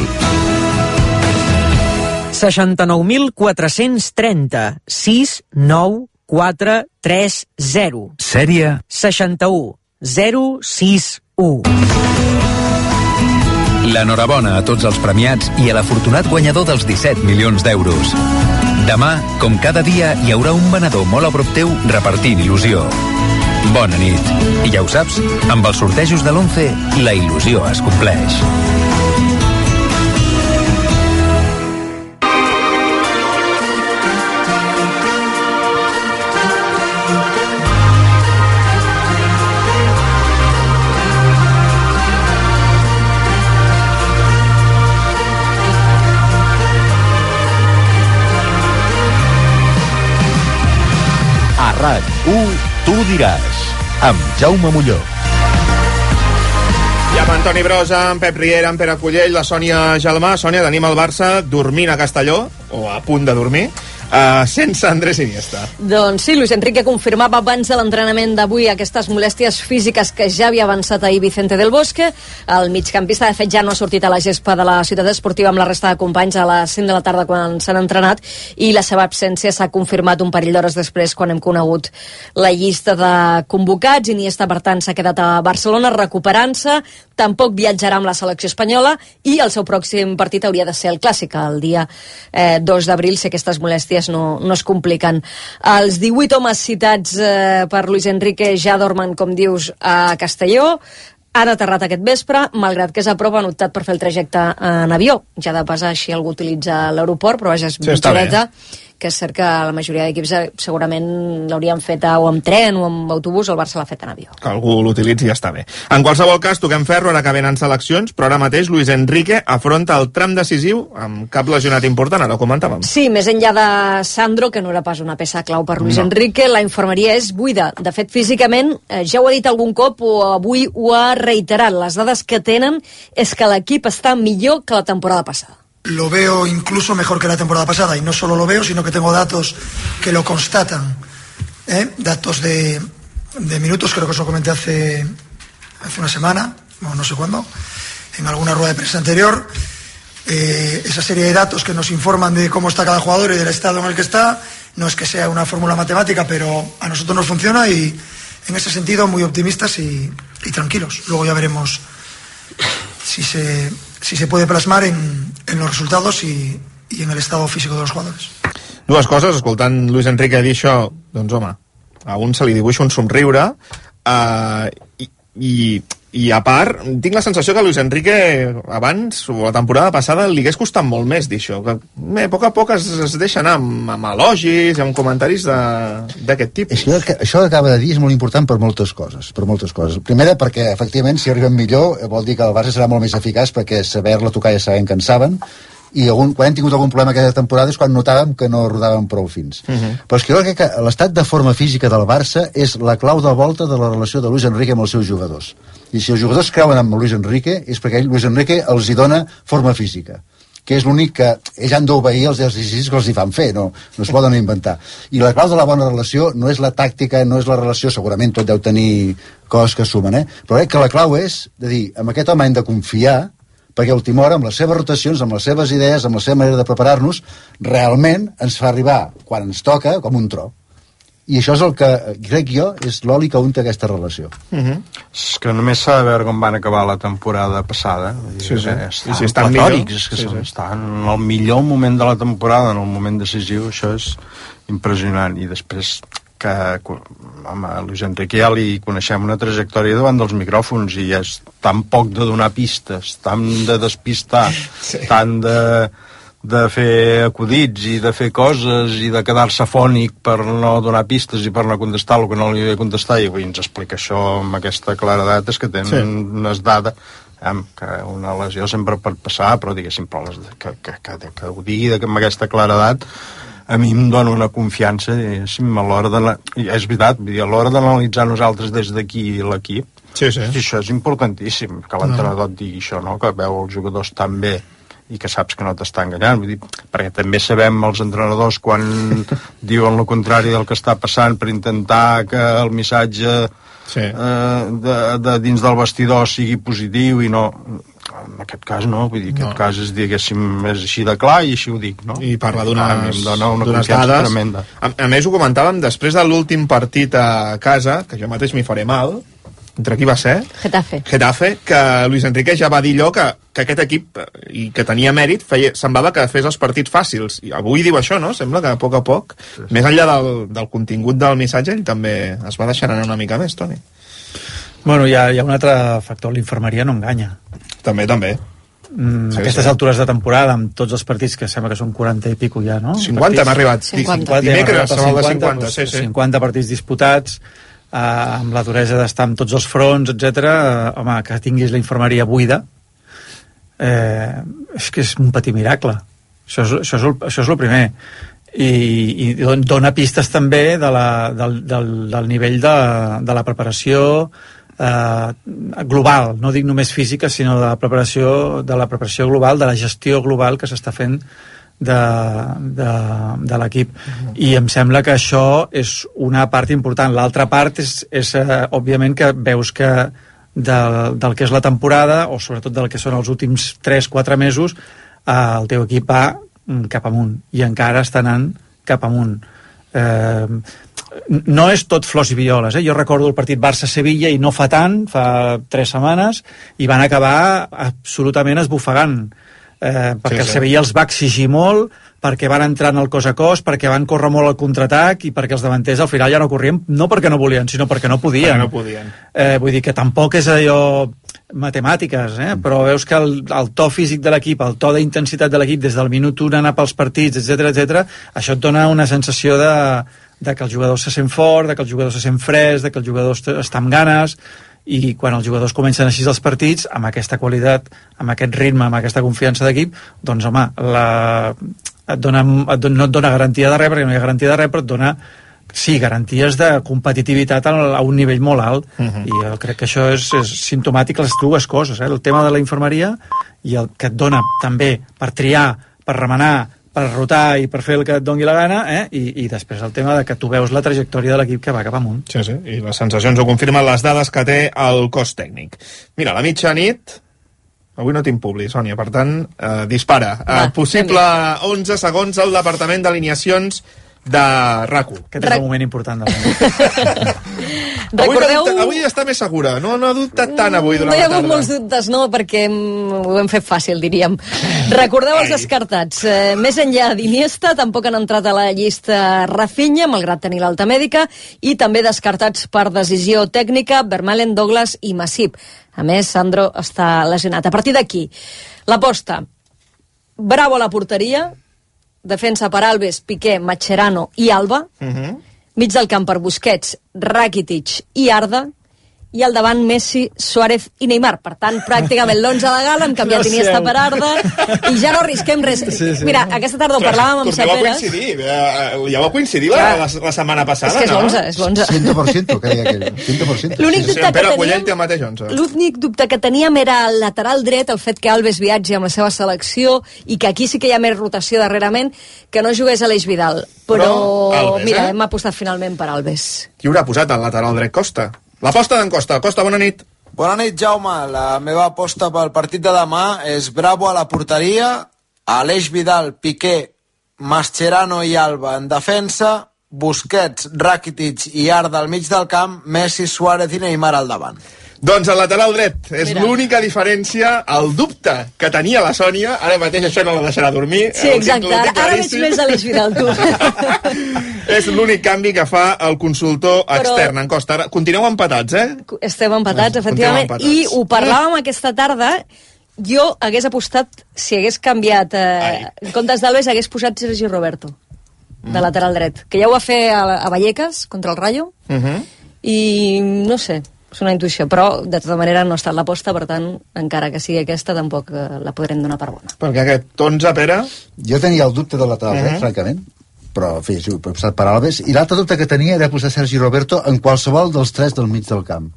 seixanta-nou mil quatre-cents trenta, sis nou quatre tres zero. Sèrie? seixanta-u zero sis u. L'enhorabona a tots els premiats i a l'afortunat guanyador dels disset milions d'euros. Demà, com cada dia, hi haurà un venedor molt a prop teu repartint il·lusió. Bona nit. I ja ho saps, amb els sortejos de l'once, la il·lusió es compleix. RAC u, tu diràs, amb Jaume Molló. I amb Antoni Brosa, amb Pep Riera, amb Pere Cullell, la Sònia Gelmà. Sònia, tenim el Barça dormint a Castelló, o a punt de dormir, uh, sense Andrés Iniesta. Doncs sí, Luis Enrique confirmava abans de l'entrenament d'avui aquestes molèsties físiques que ja havia avançat ahir Vicente del Bosque. El migcampista, de fet, ja no ha sortit a la gespa de la ciutat esportiva amb la resta de companys a les cinc de la tarda quan s'han entrenat, i la seva absència s'ha confirmat un parell d'hores després quan hem conegut la llista de convocats. Iniesta, per tant, s'ha quedat a Barcelona recuperant-se, tampoc viatjarà amb la selecció espanyola i el seu pròxim partit hauria de ser el Clàssic, el dia eh, dos d'abril, si aquestes molèsties no, no es compliquen. Els divuit homes citats eh, per Luis Enrique ja dormen, com dius, a Castelló. Han aterrat aquest vespre, malgrat que és a prop, han optat per fer el trajecte en avió. Ja de pas així algú utilitza l'aeroport, però vaja, és sí, mitja horeta, que és cert que la majoria d'equips segurament l'haurien fet o amb tren o amb autobús, el Barça l'ha fet en avió. Que algú l'utilitzi i ja està bé. En qualsevol cas, toquem ferro, ara que venen seleccions, però ara mateix Luis Enrique afronta el tram decisiu amb cap lesionat important, ara ho comentàvem. Sí, més enllà de Sandro, que no era pas una peça clau per Luis no. Enrique, la infermeria és buida. De fet, físicament, eh, ja ho ha dit algun cop o avui ho ha reiterat, les dades que tenen és que l'equip està millor que la temporada passada. Lo veo incluso mejor que la temporada pasada, y no solo lo veo, sino que tengo datos que lo constatan, ¿eh? Datos de, de minutos, creo que os lo comenté hace, hace una semana, o no sé cuándo, en alguna rueda de prensa anterior. Eh, esa serie de datos que nos informan de cómo está cada jugador y del estado en el que está, no es que sea una fórmula matemática, pero a nosotros nos funciona, y en ese sentido muy optimistas y, y tranquilos. Luego ya veremos si se... si se puede plasmar en, en los resultados y, y en el estado físico de los jugadores. Dues coses, escoltant Luis Enrique dir això, doncs home, a un se li dibuixa un somriure, uh, i, i, i a part, tinc la sensació que Luis Enrique abans, o la temporada passada, li hagués costat molt més dir això, que bé, a poc a poc es, es deixa anar amb, amb elogis i amb comentaris d'aquest tipus. És que això que acaba de dir és molt important per moltes coses, per moltes coses. Primera, perquè efectivament si arribem millor vol dir que el Barça serà molt més eficaç, perquè saber-la tocar ja sabem que en saben, i algun, quan hem tingut algun problema aquesta temporada és quan notàvem que no rodàvem prou fins. Uh-huh. Però és que jo crec que l'estat de forma física del Barça és la clau de volta de la relació de Luis Enrique amb els seus jugadors. I si els jugadors creuen amb Luis Enrique és perquè ell, Luis Enrique, els hi dona forma física, que és l'únic que ells han d'obeir els exercicis que els hi fan fer, no, no es poden inventar. I la clau de la bona relació no és la tàctica, no és la relació, segurament tot deu tenir coses que sumen, eh? Però crec que la clau és de dir, amb aquest home hem de confiar, perquè a última hora, amb les seves rotacions, amb les seves idees, amb la seva manera de preparar-nos, realment ens fa arribar, quan ens toca, com un tro. I això és el que, crec jo, és l'oli que unta aquesta relació. Uh-huh. És que només s'ha de veure com van acabar la temporada passada. Sí, sí. Estan, sí, sí, estan platòrics, és que sí, són, sí. estan en el millor moment de la temporada, en el moment decisiu, això és impressionant. I després que, home, a Luis Enrique ja li coneixem una trajectòria davant dels micròfons i és tan poc de donar pistes, tan de despistar, sí. tan de, de fer acudits i de fer coses i de quedar-se fònic per no donar pistes i per no contestar el que no li havia de contestar, i avui ens explica això amb aquesta claredat, és que tenen sí. unes dades, eh, que una lesió sempre pot passar, però diguéssim, però les, que, que, que, que ho digui amb aquesta claredat a mi em dona una confiança, a l'hora de... És veritat, a l'hora d'analitzar nosaltres des d'aquí l'equip, sí, sí. això és importantíssim, que l'entrenador et digui això, no? Que veu els jugadors tan bé i que saps que no t'està enganyant, vull dir, perquè també sabem els entrenadors quan diuen el contrari del que està passant per intentar que el missatge sí. eh, de, de dins del vestidor sigui positiu i no... En aquest cas no, vull dir, aquest no. cas és, diguéssim, és així de clar i així ho dic, no? I parla d'unes dades tremenda. A, a més ho comentàvem després de l'últim partit a casa, que jo mateix m'hi faré mal, entre qui va ser? Getafe. Getafe, que Luis Enrique ja va dir allò que, que aquest equip, i que tenia mèrit, feia, semblava que fes els partits fàcils. I avui diu això, no? Sembla que a poc a poc, sí, sí. més enllà del, del contingut del missatge, ell també es va deixar anar una mica més, Toni. Bueno, hi ha, hi ha un altre factor, l'infermeria no enganya. També, també. Mm, sí, aquestes sí. altures de temporada, amb tots els partits, que sembla que són quaranta i pico ja, no? cinquanta hem arribat. cinquanta. Dimecres, cinquanta, cinquanta, sí, sí. cinquanta partits disputats, eh, amb la duresa d'estar amb tots els fronts, etcètera. Eh, home, que tinguis la infermeria buida, eh, és que és un petit miracle. Això és, això és, el, això és el primer. i, i dona pistes també de la, del, del, del nivell de, de la preparació eh, global, no dic només física, sinó de la preparació de la preparació global, de la gestió global que s'està fent de, de, de l'equip. Uh-huh. I em sembla que això és una part important. L'altra part és, és eh, òbviament, que veus que del, del que és la temporada, o sobretot del que són els últims tres quatre mesos, eh, el teu equip va cap amunt, i encara està anant cap amunt. Eh, no és tot flors i violes, eh? Jo recordo el partit Barça-Sevilla i no fa tant, fa tres setmanes, i van acabar absolutament esbufegant, eh, perquè sí, sí. el Sevilla els va exigir molt, perquè van entrar en el cos a cos, perquè van córrer molt al contraatac i perquè els davanters al final ja no corrien, no perquè no volien, sinó perquè no podien. Perquè no podien. Eh, vull dir que tampoc és allò matemàtiques, eh? Però veus que el, el to físic de l'equip, el to d'intensitat de l'equip des del minut un anar pels partits, etcètera, etcètera, això et dona una sensació de, de que el jugador se sent fort, de que el jugador se sent fresc, de que el jugador està amb ganes, i quan els jugadors comencen així els partits, amb aquesta qualitat, amb aquest ritme, amb aquesta confiança d'equip, doncs home, la, et dona, et dona, no et dona garantia de res, perquè no hi ha garantia de res, però et dona, sí, garanties de competitivitat a, a un nivell molt alt. Uh-huh. I jo crec que això és, és simptomàtic les dues coses, eh? El tema de la infermeria i el que et dona també per triar, per remenar, per rotar i per fer el que et doni la gana, eh? I, i després el tema de que tu veus la trajectòria de l'equip que va cap amunt. Sí, sí, i les sensacions ho confirmen les dades que té el cos tècnic. Mira, a la mitjanit avui no tinc publi, Sònia, per tant, eh, dispara. Va, eh, possible onze segons al departament d'alineacions de R A C U. Aquest és el moment important del moment. Recordeu... Avui, no, avui està més segura, no, no ha dubtat tant avui durant no hi ha la hagut tarda. molts dubtes, no, perquè ho hem fet fàcil, diríem. Recordeu els descartats. Eh, més enllà d'Iniesta, tampoc han entrat a la llista Rafinha, malgrat tenir l'alta mèdica, i també descartats per decisió tècnica Vermaelen, Douglas i Masip. A més, Sandro està lesionat. A partir d'aquí, l'aposta. Bravo a la porteria, defensa per Alves, Piqué, Mascherano i Alba, Uh-huh. mig del camp per Busquets, Rakitic i Arda, i al davant Messi, Suárez i Neymar. Per tant, pràcticament l'onze de gala, hem canviat Iniesta per Arda, i ja no arrisquem res. Sí, sí. Mira, aquesta tarda ho parlàvem amb Torneu a Saperes. coincidir, eh, ja va coincidir la, la, la setmana passada, És que és no? l'onze, és l'onze. cent per cent, que deia aquell. cent per cent. L'únic Sí, sí, dubte en Pere que Collell teníem- té el mateix onze. L'únic dubte que teníem era el lateral dret, el fet que Alves viatgi amb la seva selecció i que aquí sí que hi ha més rotació darrerament, que no jugués a l'Eix Vidal. Però, Però Alves, mira, eh? hem apostat finalment per Alves. Qui haurà posat al lateral dret? Costa. L'aposta d'en Costa. Costa, bona nit. Bona nit, Jaume. La meva aposta pel partit de demà és Bravo a la porteria, Aleix Vidal, Piqué, Mascherano i Alba en defensa, Busquets, Rakitic i Arda al mig del camp, Messi, Suárez i Neymar al davant. Doncs el lateral dret és Mira. l'única diferència, el dubte que tenia la Sònia, ara mateix això no la deixarà dormir. Sí, el exacte. tinc- el Ara, tinc ara veig claríssim. més Aleix Vidal, tu. És l'únic canvi que fa el consultor Però- extern en Costa. Ara, continueu empatats, eh? Estem empatats, efectivament. empatats. I ho parlàvem aquesta tarda. Jo hagués apostat, si hagués canviat, eh, en comptes d'Alves, hagués posat Sergi Roberto, de Mm. lateral dret. Que ja ho va fer a, a Vallecas, contra el Rayo, Uh -huh. i no sé, és una intuïció, però de tota manera no ha estat l'aposta, per tant, encara que sigui aquesta, tampoc eh, la podrem donar per bona. Perquè aquest onze, Pere... Jo tenia el dubte del lateral dret, Mhm. francament, però, en fi, sí, he posat per Alves, i l'altre dubte que tenia era posar Sergi Roberto en qualsevol dels tres del mig del camp.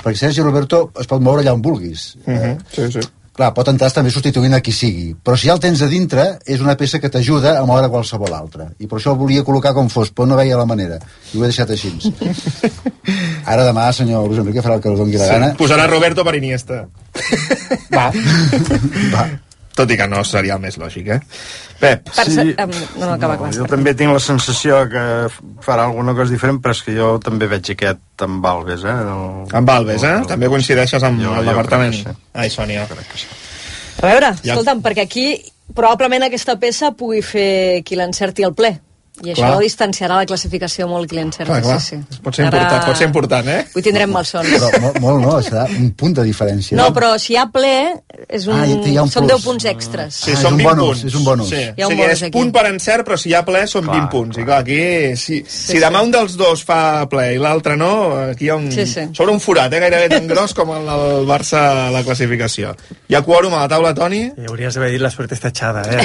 Perquè Sergi Roberto es pot moure allà on vulguis. Uh -huh. Sí, sí. Clar, pot entrar també substituint a qui sigui, però si ja el tens a dintre, és una peça que t'ajuda a moure qualsevol altra. I per això el volia col·locar com fos, però no veia la manera. I ho he deixat així. Ara demà, senyor Luis Enrique, farà el que us doni la Sí, gana. posarà Roberto per Iniesta. Va. Va. Tot i que no seria el més lògic, eh? Pep. Per Sí. ser, um, no, no, acaba, acaba. Jo també tinc la sensació que farà alguna cosa diferent, però és que jo també veig aquest amb Alves, eh? El... Amb Alves, eh? També coincideixes amb Jo- el jo departament. crec que sí. Ai, Sònia. A veure, Ja- escolta'm, perquè aquí probablement aquesta peça pugui fer qui l'encerti al ple. I això Clar. distanciarà la classificació molt client-serve. Clar, clar. Sí, sí. Pot ser important, pot ser important, eh? Avui tindrem malsons. Però molt, molt no, serà un punt de diferència. No, però si hi ha ple, és un... Ah, hi ha un són plus. deu punts extres. Sí, Ah, són és un vint bonus, punts. és un bonus. Sí. Hi ha O un sigui, bonus és aquí. punt per encert, però si hi ha ple són Clar, vint punts. I clar, aquí, si, Sí, si demà sí. un dels dos fa ple i l'altre no, aquí hi ha un... Sí, sí. Sobre un forat, eh, gairebé tan gros com el del Barça a la classificació. Hi ha quòrum a la taula, Toni? I hauries d'haver dit la suerte està echada, eh?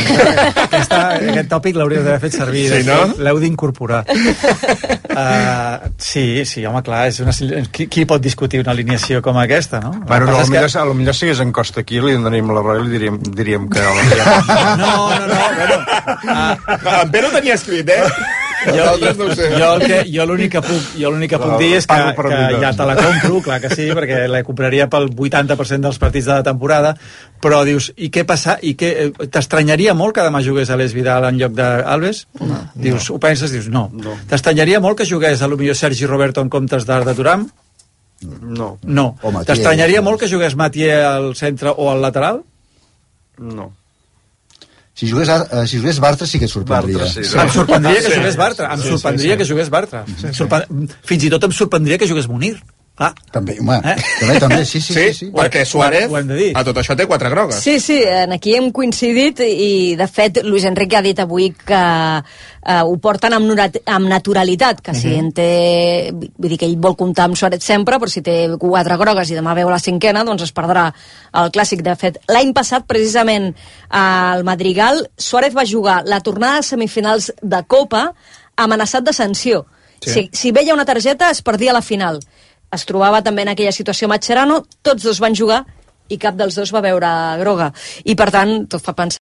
Aquesta, aquest tòpic l'hauries d'haver fet servir. Sí, no? L'heu d'incorporar. Uh, sí, sí, home, clar, és una, qui, qui pot discutir una alineació com aquesta, no? Bueno, El que no, passa és millor, que... millor si hagués en Costa aquí, li donaríem la raó i li diríem, diríem que... No, no, no, bueno... Uh... En Pere ho tenia escrit, eh? Jo, jo, no ho sé. jo, el que, jo l'únic que puc, jo l'únic que puc dir és que, que ja te la compro, clar que sí, perquè la compraria pel vuitanta per cent dels partits de la temporada, però dius, i què passa? I què, t'estranyaria molt que demà jugués Aleix Vidal en lloc d'Alves? No, dius, no. Ho penses? Dius, no. no. T'estranyaria molt que jugués a lo millor Sergi Roberto en comptes d'Arda Turam? No. No. T'estranyaria molt que jugués Mathieu al centre o al lateral? No. Si jugués, uh, si jugués Bartra sí que et sorprendria. Bartra, sí, sí. Em sorprendria que jugués Bartra. Em sorprendria que jugués Bartra. Sorpre... Fins i tot em sorprendria que jugués Munir. Ah. També, home, eh? també, també, sí, sí, sí, sí, sí. perquè Suárez a tot això té quatre grogues. Sí, sí, aquí hem coincidit i, de fet, Luis Enrique ha dit avui que eh, ho porten amb, amb naturalitat, que si en té... Vull dir que ell vol comptar amb Suárez sempre, però si té quatre grogues i demà veu la cinquena, doncs es perdrà el clàssic. De fet, l'any passat, precisament, al Madrigal, Suárez va jugar la tornada de semifinals de Copa amenaçat de sanció. Sí. Si, si veia una targeta, es perdia la final. Es trobava també en aquella situació Mascherano, tots dos van jugar i cap dels dos va veure groga. I, per tant, tot fa pensar